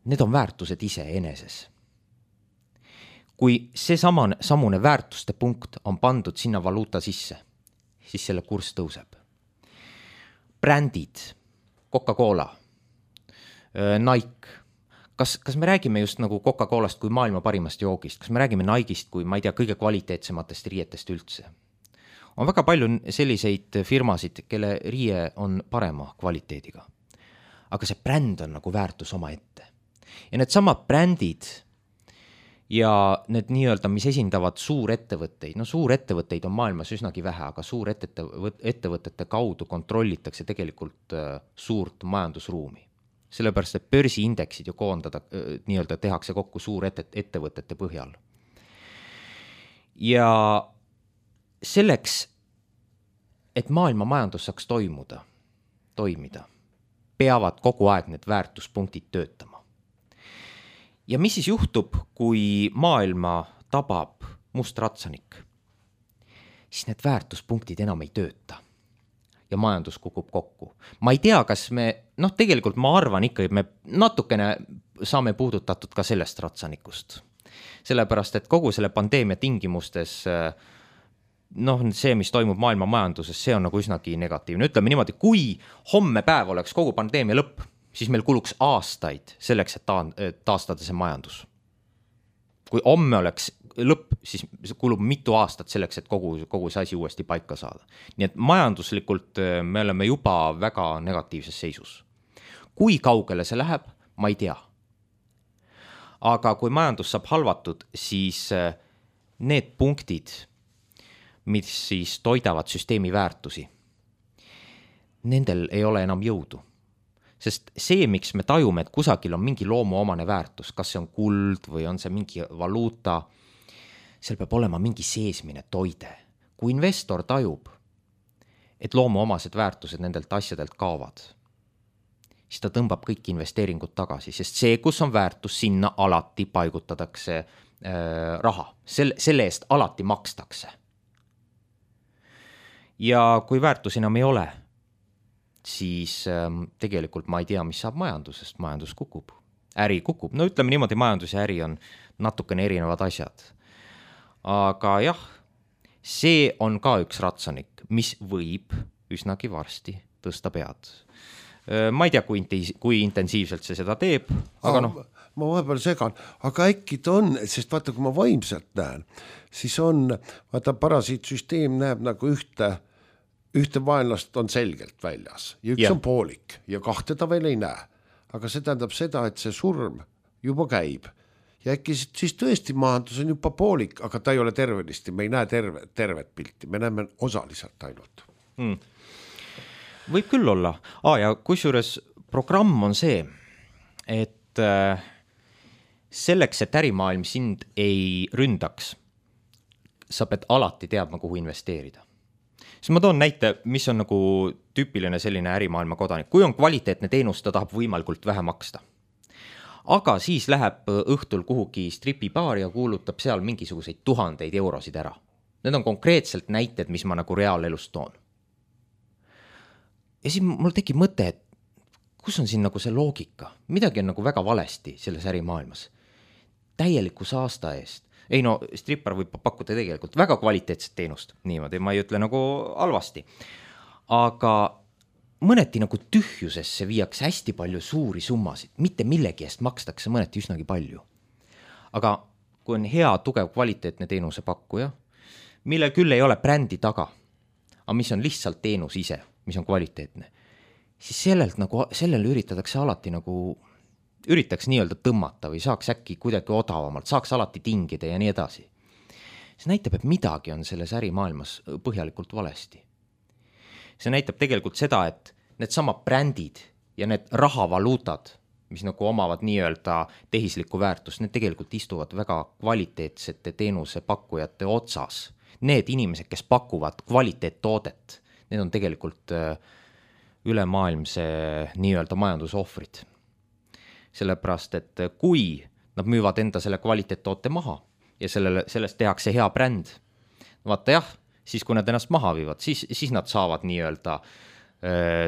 Need on väärtused ise eneses. Kui see samune väärtuste punkt on pandud sinna valuuta sisse, siis selle kurss tõuseb. Brändid, Coca-Cola, Nike. Kas me räägime just nagu Coca-Colast kui maailma parimast joogist? Kas me räägime Nike'ist kui, ma ei tea, kõige kvaliteetsematest riietest üldse? On väga palju selliseid firmasid, kelle riie on parema kvaliteediga. Aga see bränd on nagu väärtus oma ette. Ja need samad brändid ja need nii-öelda, mis esindavad suurettevõtteid, suurettevõtteid on maailmas üsnagi vähe, aga suurettevõtete kaudu kontrollitakse tegelikult suurt majandusruumi. Sellepärast, et börsiindeksid ju koondada, nii-öelda tehakse kokku suurettevõtete põhjal. Ja selleks, et maailma majandus saaks toimida, peavad kogu aeg need väärtuspunktid töötama. Ja mis siis juhtub, kui maailma tabab must ratsanik? Siis need väärtuspunktid enam ei tööta ja majandus kukub kokku. Ma ei tea, kas me, tegelikult ma arvan ikka, et me natukene saame puudutatud ka sellest ratsanikust. Sellepärast, et kogu selle pandeemia tingimustes, see, mis toimub maailma majanduses, see on nagu üsnagi negatiivne. Ütleme niimoodi, kui homme päev oleks kogu pandeemia lõpp, siis meil kuluks aastaid selleks, et taastada see majandus. Kui homme oleks lõpp, siis kulub mitu aastat selleks, et kogu see asi uuesti paika saada. Nii et majanduslikult me oleme juba väga negatiivses seisus. Kui kaugele see läheb, ma ei tea. Aga kui majandus saab halvatud, siis need punktid, mis siis toidavad süsteemi väärtusi, nendel ei ole enam jõudu. Sest see, miks me tajume, et kusagil on mingi loomuomane väärtus, kas see on kuld või on see mingi valuuta, seal peab olema mingi seesmine toide. Kui investor tajub, et loomuomased väärtused nendelt asjadelt kaovad, siis ta tõmbab kõik investeeringud tagasi, sest see, kus on väärtus, sinna alati paigutatakse raha. Selle eest alati makstakse. Ja kui väärtus enam ei ole, siis tegelikult ma ei tea, mis saab majandusest. Majandus kukub, äri kukub. Ütleme niimoodi, majandus ja äri on natukene erinevad asjad. Aga jah, see on ka üks ratsanik, mis võib üsnagi varsti tõsta pead. Ma ei tea, kui intensiivselt see seda teeb, aga ma vahepeal segan, aga äkki ta on, sest vaata, kui ma vaimselt näen, siis on, vaata, parasiitsüsteem näeb nagu ühte vaenlast on selgelt väljas ja üks on poolik ja kahte ta veel ei näe. Aga see tähendab seda, et see surm juba käib ja äkki siis tõesti majandus on juba poolik, aga ta ei ole tervenisti, me ei näe tervet pilti, me näeme osaliselt ainult. Võib küll olla. Ja kusjuures programm on see, et selleks, et ärimaailm sind ei ründaks, sa pead alati teadma, kuhu investeerida. Siis ma toon näite, mis on nagu tüüpiline selline ärimaailma kodanik. Kui on kvaliteetne teenus, ta tahab võimalikult vähe maksta. Aga siis läheb õhtul kuhugi stripibaari ja kuulutab seal mingisuguseid 1000 eurosid ära. Need on konkreetselt näited, mis ma nagu reaalelust toon. Ja siis mul tekib mõte, et kus on siin nagu see loogika? Midagi on nagu väga valesti selles ärimaailmas. Täieliku saasta eest. Ei strippar võib pakkuda tegelikult väga kvaliteetset teenust, niimoodi, ma ei ütle nagu halvasti. Aga mõneti nagu tühjusesse viiakse hästi palju suuri summasid, mitte millegi eest makstakse mõneti üsnagi palju. Aga kui on hea, tugev, kvaliteetne teenuse pakkuja, mille küll ei ole brändi taga, aga mis on lihtsalt teenus ise, mis on kvaliteetne, siis sellele üritatakse alati nagu üritaks nii-öelda tõmmata või saaks äkki kuidagi odavamalt, saaks alati tingida ja nii edasi. See näitab, et midagi on selles ärimaailmas põhjalikult valesti. See näitab tegelikult seda, et need sama brändid ja need rahavaluutad, mis nagu omavad nii-öelda tehislikku väärtust, need tegelikult istuvad väga kvaliteetsete teenusepakkujate otsas. Need inimesed, kes pakuvad kvaliteettoodet, need on tegelikult ülemaailmse nii-öelda majandusohvrid. Sellepärast, et kui nad müüvad enda selle kvaliteettoote maha ja sellest tehakse hea bränd, vaata jah, siis kui nad ennast maha viivad, siis nad saavad nii-öelda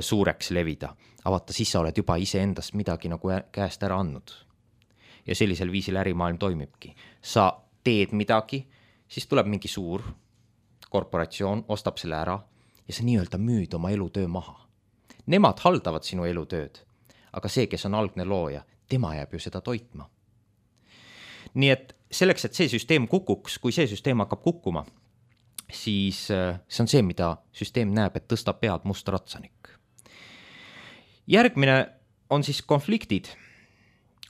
suureks levida. Aga vaata, siis sa oled juba iseendast midagi nagu käest ära andnud. Ja sellisel viisil ärimaailm toimibki. Sa teed midagi, siis tuleb mingi suur korporatsioon, ostab selle ära ja sa nii-öelda müüd oma elutöö maha. Nemad haldavad sinu elutööd, aga see, kes on algne looja, tema jääb ju seda toitma. Nii et selleks, et see süsteem kukuks, kui see süsteem hakkab kukkuma, siis see on see, mida süsteem näeb, et tõstab pead must ratsanik. Järgmine on siis konfliktid.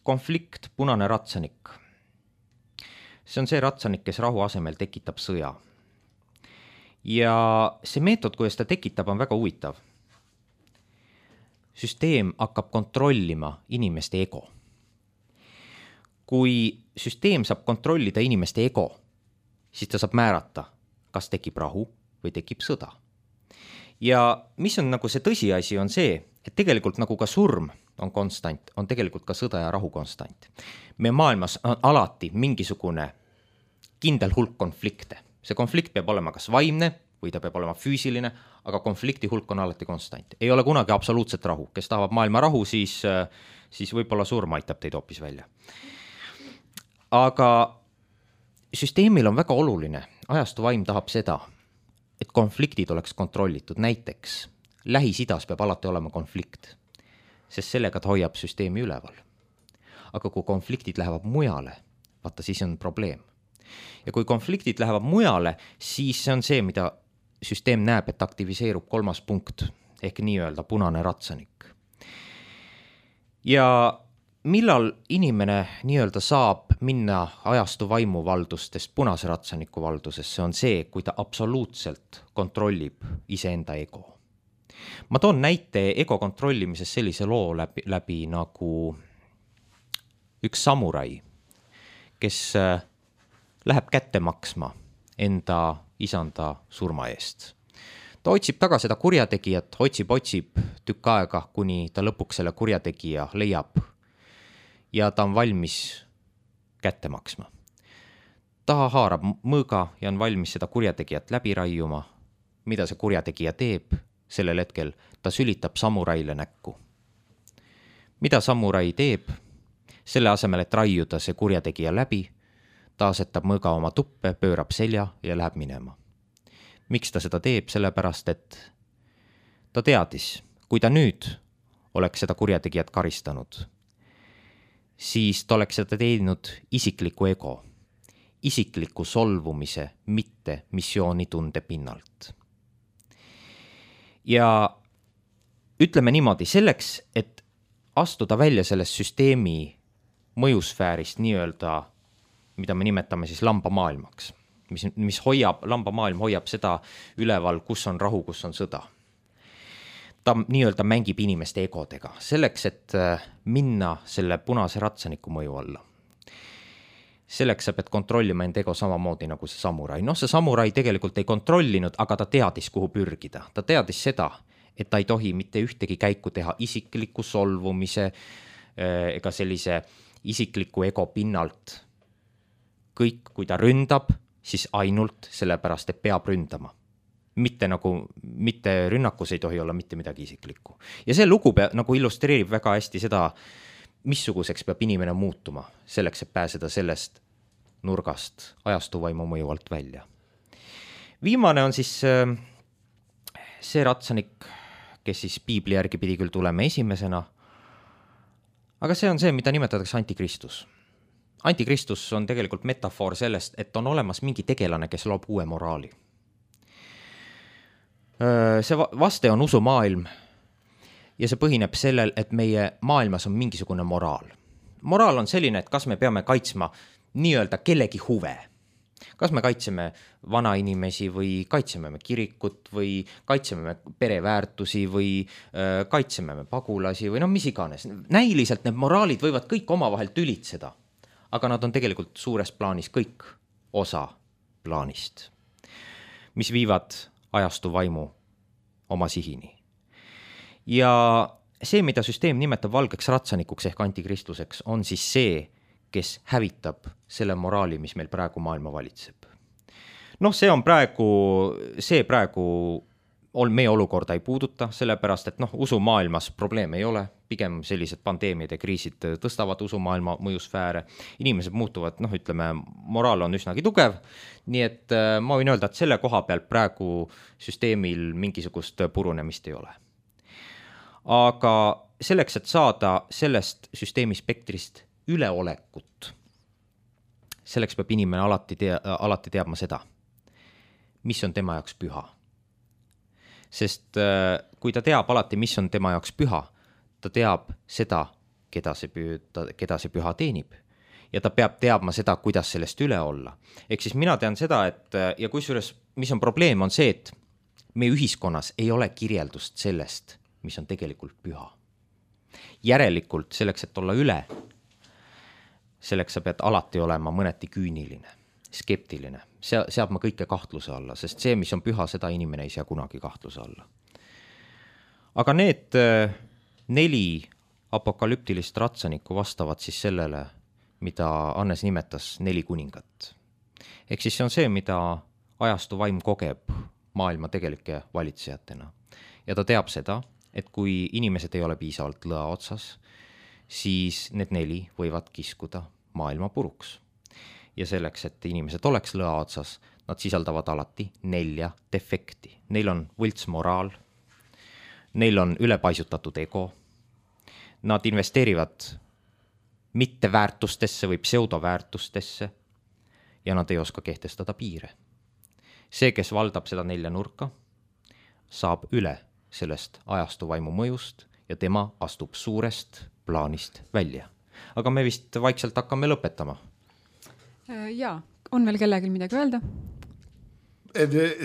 Konflikt, punane ratsanik. See on see ratsanik, kes rahu asemel tekitab sõja. Ja see meetod, kuidas ta tekitab, on väga huvitav. Süsteem hakkab kontrollima inimeste ego. Kui süsteem saab kontrollida inimeste ego, siis ta saab määrata, kas tekib rahu või tekib sõda. Ja mis on nagu see tõsiasi, on see, et tegelikult nagu ka surm on konstant, on tegelikult ka sõda ja rahu konstant. Meie maailmas on alati mingisugune kindel hulk konflikte. See konflikt peab olema kas vaimne või ta peab olema füüsiline, aga konflikti hulk on alati konstant. Ei ole kunagi absoluutset rahu. Kes tahab maailma rahu, siis võib-olla surm aitab teid hoopis välja. Aga süsteemil on väga oluline. Ajastu vaim tahab seda, et konfliktid oleks kontrollitud. Näiteks Lähis-Idas peab alati olema konflikt, sest sellega ta hoiab süsteemi üleval. Aga kui konfliktid lähevad mujale, vaata, siis on probleem. Ja kui konfliktid lähevad mujale, siis see on see, mida süsteem näeb, et aktiviseerub 3. punkt ehk nii-öelda punane ratsanik. Ja millal inimene nii-öelda saab minna ajastu vaimuvaldustest punase ratsaniku valdusesse, on see, kui ta absoluutselt kontrollib iseenda ego. Ma toon näite ego kontrollimises sellise loo läbi nagu üks samurai, kes läheb kätte maksma enda isanda surma eest. Ta otsib taga seda kurjategijat, otsib tükk aega, kuni ta lõpuks selle kurjategija leiab ja ta on valmis kätte maksma. Ta haarab mõõga ja on valmis seda kurjategijat läbi raiuma. Mida see kurjategija teeb? Sellel hetkel ta sülitab samuraile näkku. Mida samurai teeb? Selle asemel, et raiuda see kurjategija läbi, ta asetab mõõga oma tuppe, pöörab selja ja läheb minema. Miks ta seda teeb? Sellepärast, et ta teadis, kui ta nüüd oleks seda kurjategijat karistanud, siis ta oleks seda teinud isikliku ego, isikliku solvumise, mitte missioonitunde pinnalt. Ja ütleme niimoodi, selleks, et astuda välja sellest süsteemi mõjusfäärist nii-öelda, mida me nimetame siis lambamaailmaks, mis lambamaailm hoiab seda üleval, kus on rahu, kus on sõda. Ta nii-öelda mängib inimeste egodega, selleks, et minna selle punase ratsaniku mõju alla. Selleks sa pead kontrollima enda ego samamoodi nagu see samurai. See samurai tegelikult ei kontrollinud, aga ta teadis, kuhu pürgida. Ta teadis seda, et ta ei tohi mitte ühtegi käiku teha isikliku solvumise ega sellise isikliku ego pinnalt. Kõik, kui ta ründab, siis ainult sellepärast, et peab ründama. Mitte rünnakus ei tohi olla mitte midagi isiklikku. Ja see lugu nagu illustreerib väga hästi seda, missuguseks peab inimene muutuma, selleks, et pääseda sellest nurgast ajastuvaimu mõju alt välja. Viimane on siis see ratsanik, kes siis piibli järgi pidi küll tulema esimesena, aga see on see, mida nimetatakse antikristus. Antikristus on tegelikult metafoor sellest, et on olemas mingi tegelane, kes loob uue moraali. See vaste on usumaailm ja see põhineb sellel, et meie maailmas on mingisugune moraal. moraal on selline, et kas me peame kaitsma nii-öelda kellegi huve. Kas me kaitseme vanainimesi või kaitseme me kirikut või kaitseme me pereväärtusi või kaitseme me pagulasi või mis iganes. Näiliselt need moraalid võivad kõik omavahel tülitseda, aga nad on tegelikult suures plaanis kõik osa plaanist, mis viivad ajastu vaimu oma sihini. Ja see, mida süsteem nimetab valgeks ratsanikuks ehk antikristluseks, on siis see, kes hävitab selle moraali, mis meil praegu maailma valitseb. See praegu meie olukorda ei puuduta, sellepärast, et usumaailmas probleeme ei ole, pigem sellised pandeemiad ja kriisid tõstavad usumaailma mõjusfääre, inimesed muutuvad, moraal on üsnagi tugev, nii et ma võin öelda, et selle koha pealt praegu süsteemil mingisugust purunemist ei ole. Aga selleks, et saada sellest süsteemi spektrist üleolekut, selleks peab inimene alati teadma seda, mis on tema jaoks püha. Sest kui ta teab alati, mis on tema jaoks püha, ta teab seda, keda see püha teenib. Ja ta peab teadma seda, kuidas sellest üle olla. Ehk siis mina tean seda, et ja kusjuures, mis on probleem, on see, et meie ühiskonnas ei ole kirjeldust sellest, mis on tegelikult püha. Järelikult selleks, et olla üle, selleks sa pead alati olema mõneti küüniline, skeptiline. Seab ma kõike kahtluse alla, sest see, mis on püha, seda inimene ei sea kunagi kahtluse alla. Aga need 4 apokalüptilist ratsanikku vastavad siis sellele, mida Hannes nimetas 4 kuningat. Ehk siis see on see, mida ajastu vaim kogeb maailma tegelike valitsejatena. Ja ta teab seda, et kui inimesed ei ole piisavalt lõa otsas, siis need 4 võivad kiskuda maailma puruks. Ja selleks, et inimesed oleks lõa otsas, nad sisaldavad alati 4 defekti. Neil on võlts moraal, neil on ülepaisutatud ego, nad investeerivad mitte väärtustesse või pseudoväärtustesse ja nad ei oska kehtestada piire. See, kes valdab seda 4 nurka, saab üle sellest ajastu vaimu mõjust ja tema astub suurest plaanist välja. Aga me vist vaikselt hakkame lõpetama. Jaa, on veel kellelgi midagi öelda?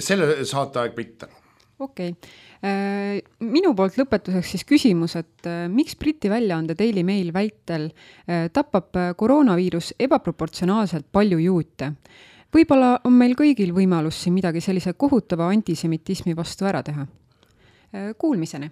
Selle saateaeg mitte. Okei. Minu poolt lõpetuseks siis küsimus, et miks Briti väljaande Daily Mail väitel tapab koroonaviirus ebaproportsionaalselt palju juute? Võib-olla on meil kõigil võimalus siin midagi sellise kohutava antisemitismi vastu ära teha. Kuulmiseni!